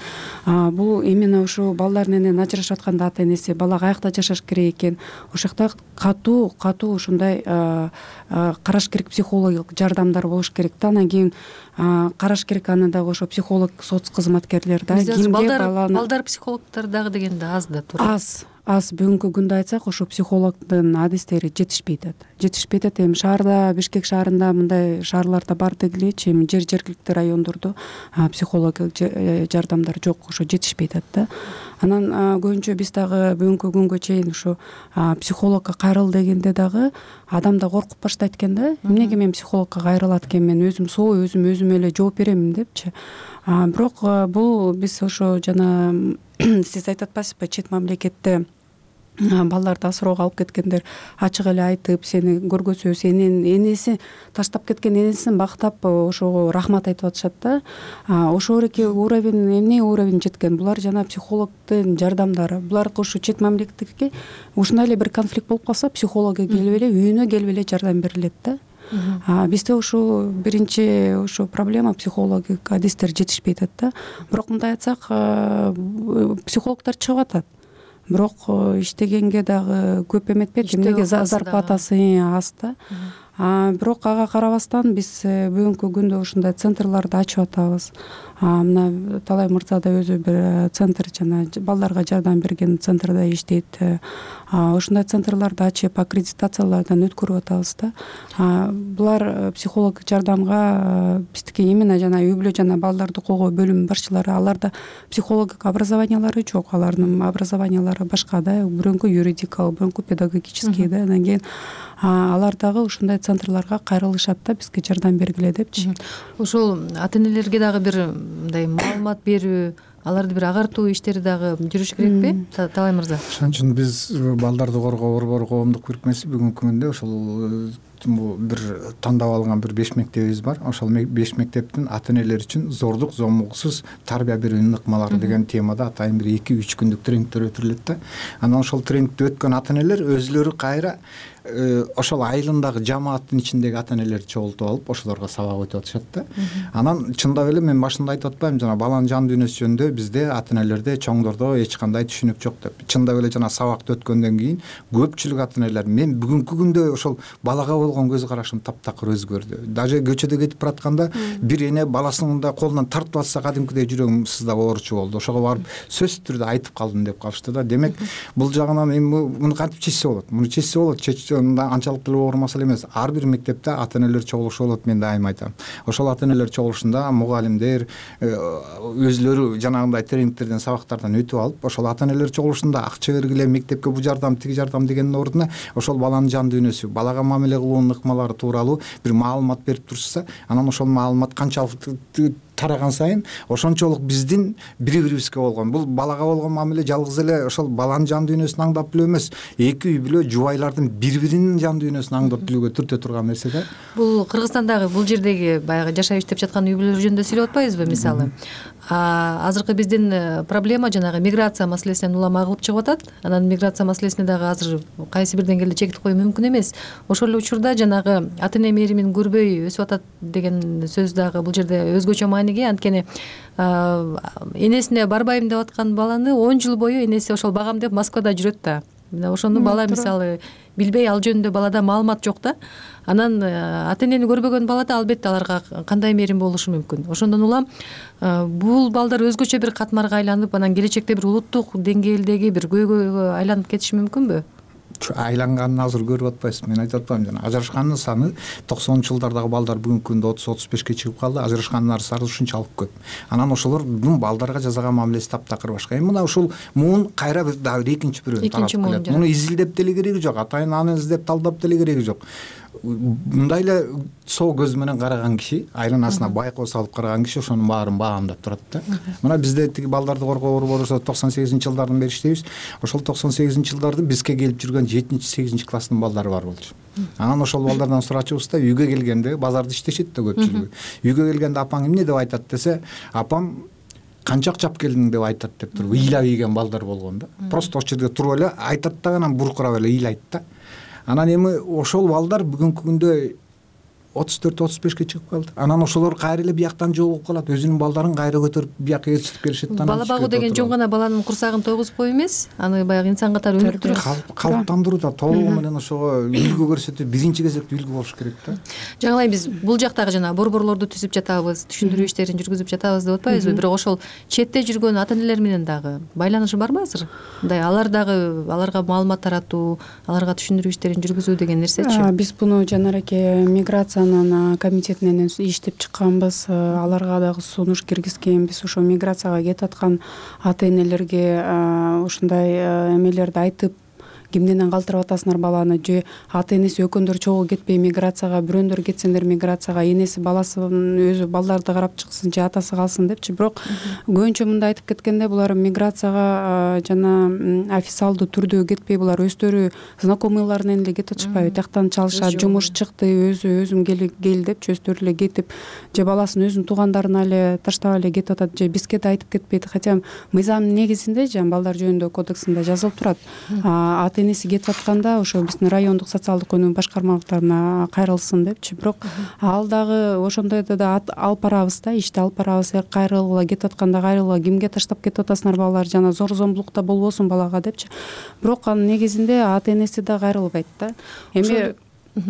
Бул именно ушу балдар менен ажырашып атканда ата энеси бала каякта жашаш керек экен, ошол жакта катуу катуу ушундай караш керек, психологиялык жардамдар болуш керек да. Анан кийин караш керек аны дагы ошо психолог, соц кызматкерлер да. Кимге балдар психологдор дагы дегенде аз да туура. Аз аз бүгүнкү күндө айтсак, ошо психологдун адистери жетишпей атат. Жетишпей атат. Эми шаарда, Бишкек шаарында мындай шаарларда бар дегилечи, эми жер жергиликтүү райондордо психологиялык жардамдар жок, ошо жетишпей атат да. Анан көбүнчө биз дагы бүгүнкү күнгө чейин ушу психологко кайрыл дегенде дагы адам да коркуп баштайт экен да. Эмнеге мен психологко кайрылат экенмин, өзүм соо, өзүм өзүмө эле жооп беремин депчи. Бирок бул биз ошо жана сиз айтып атпайсызбы, чет мамлекетте балдарды асыроого алып кеткендер ачык эле айтып, сени көргөзө, сенин энеси таштап кеткен энесин бактап ошого рахмат айтып атышат да. Ошо эки уровень, эмне уровень жеткен? Булар жана психологдун жардамдары. Булар ушу чет мамлекетке ушундай эле бир конфликт болуп калса, психологко келип эле, үйүнө келип эле жардам берилет да. Бизде ушу биринчи ушу проблема, психологик адистер жетишпей атат да. Бирок мындай айтсак, психологдор чыгып атат. Бирок иштегенге дагы көп эметпейт, эмнеге зарплатасы аз да. Бирок ага карабастан биз бүгүнкү күндө ушундай центрларды ачып атабыз. Мына Талай мырза да өзү бир центр, жана балдарга жардам берген центрде иштейт. Ушундай центрларды ачып, аккредитациялардан өткөрүп атабыз да. Булар психолог жардамга биздики именно жана үй бүлө жана балдарды коргоо бөлүмүнүн башчылары, аларда психологик образованиялары жок, алардын образованиялары башка да, бирөңкү юридикалык, бирөңкү педагогический да. Анан кийин алар дагы ушундай центрларга кайрылышат да, бизге жардам бергиле депчи. Ошол ата энелерге дагы бир мындай маалымат берүү, аларды бир агартуу иштери дагы жүрүш керекпи, Талай мырза? Ошон үчүн биз балдарды коргоо борбору коомдук бирикмеси бүгүнкү күндө ошол бир тандап алган бир беш мектебибиз бар. Ошол беш мектептин ата энелер үчүн зордук, зомугсуз тарбия берүүнүн ыкмалары деген темада атайын бир эки үч күндүк тренингдер өтүрүлөт да. Анан ошол тренингди өткөн ата энелер өзүлөрү кайра ошол айылындагы жамааттын ичиндеги ата энелерди чогултуп алып ошолорго сабак өтүп атышат да. Анан чындап эле мен башында айтып атпаймынбы жана баланын жан дүйнөсү жөнүндө бизде ата энелерде чоңдордо эч кандай түшүнүк жок деп. Чындап эле жана сабакты өткөндөн кийин көпчүлүк ата энелер мен бүгүнкү күндө ошол балага болгон көз карашым таптакыр өзгөрдү. Даже көчөдө кетип баратканда бир эне баласынын да колунан тартып атса кадимкидей жүрөгүм сыздап ооручу болду. Ошого барып сөзсүз түрдө айтып калдым деп калышты да. Демек бул жагынан эми муну кантип чечсе болот? Муну чечсе болот. Чечүүнда анчалык деле оор маселе эмес. Ар бир мектепте ата энелер чогулушу болот, мен дайым айтам. Ошол ата энелер чогулушунда мугалимдер өзлөрү жанагындай тренингтерден, сабактардан өтүп алып, ошол ата энелер чогулушунда акча бергиле, мектепке бу жардам, тиги жардам дегендин ордуна ошол баланын жан дүйнөсү, балага мамиле кылуунун ыкмалары тууралуу бир маалымат берип турушса, анан ошол маалымат канчалык тараган сайын ошончолук биздин бири-бирибизге болгон, бул балага болгон мамиле жалгыз эле ошол баланын жан дүйнөсүн аңдап билүү эмес, эки үй бүлө жубайлардын бири-биринин жан дүйнөсүн аңдап билүүгө түртө турган нерсе да. Бул Кыргызстандагы бул жердеги баягы жашап иштеп жаткан үй бүлөлөр жөнүндө сүйлөп атпайбызбы мисалы? Азыркы биздин проблема жанагы миграция маселесинен улам агылып чыгып атат. Анан миграция маселесине дагы азыр кайсы бир деңгээлде чекит коюу мүмкүн эмес. Ошол эле учурда жанагы ата эне мээримин көрбөй өсүп атат деген сөз дагы бул жерде өзгөчө мааниге, анткени энесине барбайм деп аткан баланы он жыл бою энеси ошол багам деп Москвада жүрөт да. Мына ошону бала мисалы билбей, ал жөнүндө балада маалымат жок да. Анан ата энени көрбөгөн балада албетте аларга кандай мээрим болушу мүмкүн. Ошондон улам бул балдар өзгөчө бир катмарга айланып, анан келечекте бир улуттук деңгээлдеги бир көйгөйгө айланып кетиши мүмкүнбү? Айланганын азыр көрүп атпайсызбы? Мен айтып атпаймынбы жана ажырашкандын саны токсонунчу жылдардагы балдар бүгүнкү күндө отуз отуз бешке чыгып калды. Ажырашкандын саны ушунчалык көп. Анан ошолордун балдарга жасаган мамилеси таптакыр башка. Эми мына ушул муун кайра бир дагы экинчи бирөөнү таратып келет. Муну изилдеп деле кереги жок, атайын аны издеп талдап деле кереги жок. Мындай эле соо көз менен караган киши, айланасына байкоо салып караган киши ошонун баарын баамдап турат да. Мына бизде тиги балдарды коргоо борбору токсон сегизинчи жылдардан бери иштейбиз. Ошол токсон сегизинчи жылдарды бизге келип жүргөн жетинчи сегизинчи класстын балдары бар болчу. Анан ошол балдардан сурачубузда үйгө келгенде базарда иштешет да көпчүлүгү. Үйгө келгенде апаң эмне деп айтат десе, апам канчак чап келдиң деп айтат деп туруп ыйлап ийген балдар болгон да. Просто ошол жерде туруп эле айтат да, анан буркурап эле ыйлайт да. Анан эми ошол балдар бүгүнкү күндө отуз төрт отуз бешке чыгып калды. Анан ошолор кайра эле бияктан жогулуп калат. Өзүнүн балдарын кайра көтөрүп биякка ээрчитип келишет да. Бала багуу деген жөн гана баланын курсагын тойгузуп коюу эмес, аны баягы инсан катары өнүктүрүп калыптандырууда толугу менен ошого үлгү көрсөтүп, биринчи кезекте үлгү болуш керек да. Жаңылай биз бул жактагы жана борборлорду түзүп жатабыз, түшүндүрүү иштерин жүргүзүп жатабыз деп атпайбызбы? Бирок ошол четте жүргөн ата энелер менен дагы байланышы барбы азыр? Мындай алар дагы аларга маалымат таратуу, аларга түшүндүрүү иштерин жүргүзүү деген нерсечи? Биз буну жанареке миграциянын комитетинен иштеп чыкканбыз, аларга дагы сунуш киргизгенбиз. Ошо миграцияга кетип аткан ата энелерге ушундай эмелерди айтып, кимден калтырып атасыңар баланы, же ата энеси экөөндөр чогуу кетпей миграцияга, бирөөндөр кетсеңдер миграцияга, энеси баласын өзү балдарды карап чыксын же атасы калсын депчи. Бирок көбүнчө мындай айтып кеткенде булар миграцияга жана официалдуу түрдө кетпей, булар өздөрү знакомыйларынын эле кетип атышпайбы? Тияктан чалышат, жумуш чыкты, өзү өзүм кел депчи өздөрү эле кетип, же баласын өзүнүн туугандарына эле таштап эле кетип атат, же бизге да айтып кетпейт. Хотя мыйзамдын негизинде жана балдар жөнүндө кодексинде жазылып турат. Ата энеси кетип атканда ошо биздин райондук социалдык өнүгүү башкармалыктарына кайрылсын депчи. Бирок ал дагы ошондойдо да алып барабыз да, ишти алып барабыз. Кайрылгыла кетип атканда кайрылгыла, кимге таштап кетип атасыңар балалар, жана зор зомбулук да болбосун балага депчи. Бирок анын негизинде ата энеси да кайрылбайт да. Эми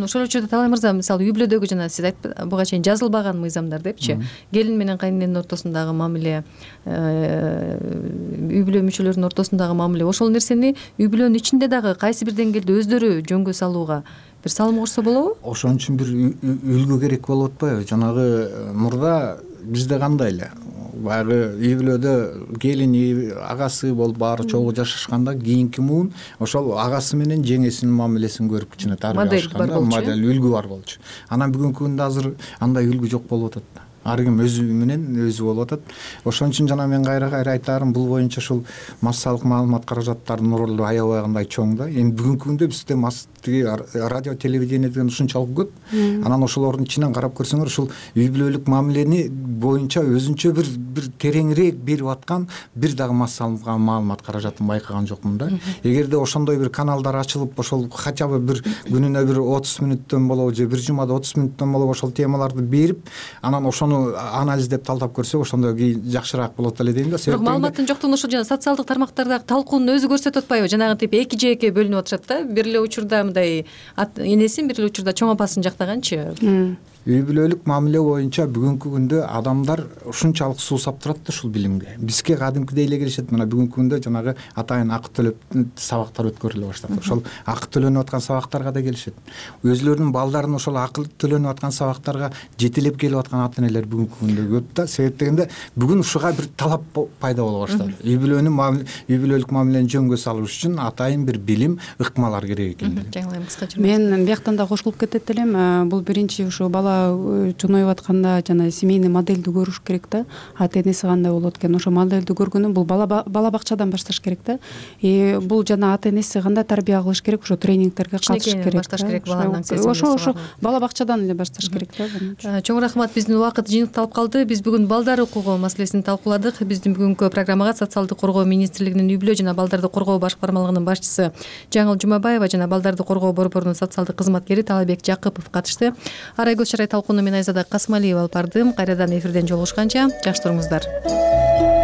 ошол учурда Талай мырза, мисалы үй бүлөдөгү жана сиз айтып буга чейин жазылбаган мыйзамдар депчи, келин менен кайнененин ортосундагы мамиле, үй бүлө мүчөлөрүнүн ортосундагы мамиле, ошол нерсени үй бүлөнүн ичинде дагы кайсы бир деңгээлде өздөрү жөнгө салууга бир салым кошсо болобу? Ошон үчүн бир үлгү керек болуп атпайбы? Жанагы мурда бизде кандай эле баягы үй бүлөдө келини, агасы болуп баары чогуу жашашканда кийинки муун ошол агасы менен жеңесинин мамилесин көрүп кичине тарбия алышканда модель үлгү бар болчу. Анан бүгүнкү күндө азыр андай үлгү жок болуп атат. ар ким өзү менен өзү болуп атат. Ошон үчүн жана мен кайра кайра айтаарым, бул боюнча ушул массалык маалымат каражаттарынын ролу аябай кандай чоң да. Эми бүгүнкү күндө бизде тиги радио телевидение деген ушунчалык көп. Анан ошолордун ичинен карап көрсөңөр, ушул үй бүлөлүк мамилени боюнча өзүнчө бир бир тереңирээк берип аткан бир дагы массалык маалымат каражатын байкаган жокмун да. Эгерде ошондой бир каналдар ачылып, ошол хотя бы бир күнүнө бир отуз мүнөттөн болобу же бир жумада отуз мүнөттөн болобу ошол темаларды берип, анан ошону анализдеп талдап көрсөк, ошондо жакшыраак болот эле дейм да. Бирок маалыматтын жоктугун ошо жана социалдык тармактардагы талкуунун өзү көрсөтүп атпайбы? Жанагы тип эки жээкке бөлүнүп атышат да. Бир эле учурда мындай энесин, бир эле учурда чоң апасын жактаганчы. Үй бүлөлүк мамиле боюнча бүгүнкү күндө адамдар ушунчалык суусап турат да ушул билимге. Бизге кадимкидей эле келишет. Мына бүгүнкү күндө жанагы атайын акы төлөп сабактар өткөрүлө баштады. Ошол акы төлөнүп аткан сабактарга да келишет. Өзүлөрүнүн балдарын ошол акы төлөнүп аткан сабактарга жетелеп келип аткан ата энелер бүгүнкү күндө көп да. Себеп дегенде бүгүн ушуга бир талап пайда боло баштады. Үй бүлөнүн мамиле, үй бүлөлүк мамилени жөнгө салыш үчүн атайын бир билим, ыкмалар керек экен. Жаңылайм кыскача. Мен бияктан да кошулуп кетет элем. Бул биринчи ушу бала чоңоюп атканда жана семейный модельди көрүш керек да. Ата энеси кандай болот экен, ошо модельди көргөнүн бул бала бала бакчадан башташ керек да. И бул жана ата энеси кандай тарбия кылыш керек, ошо тренингтерге катышыш керек. Башташ керек баланын акциясы. Ошо ошо бала бакчадан эле башташ керек да. Чоң рахмат. Биздин убакыт жыйынтыкталып калды. Биз бүгүн балдар укугу маселесин талкууладык. Биздин бүгүнкү программага социалдык коргоо министрлигинин үй бүлө жана балдарды коргоо башкармалыгынын башчысы Жаңыл Жумабаева жана балдарды коргоо борборунун социалдык кызматкери Талабек Жакыпов катышты. Арайгүл Шарай талкууну мен Айзада Касымалиева алып бардым. Кайрадан эфирден жолугушканча жакшы туруңуздар.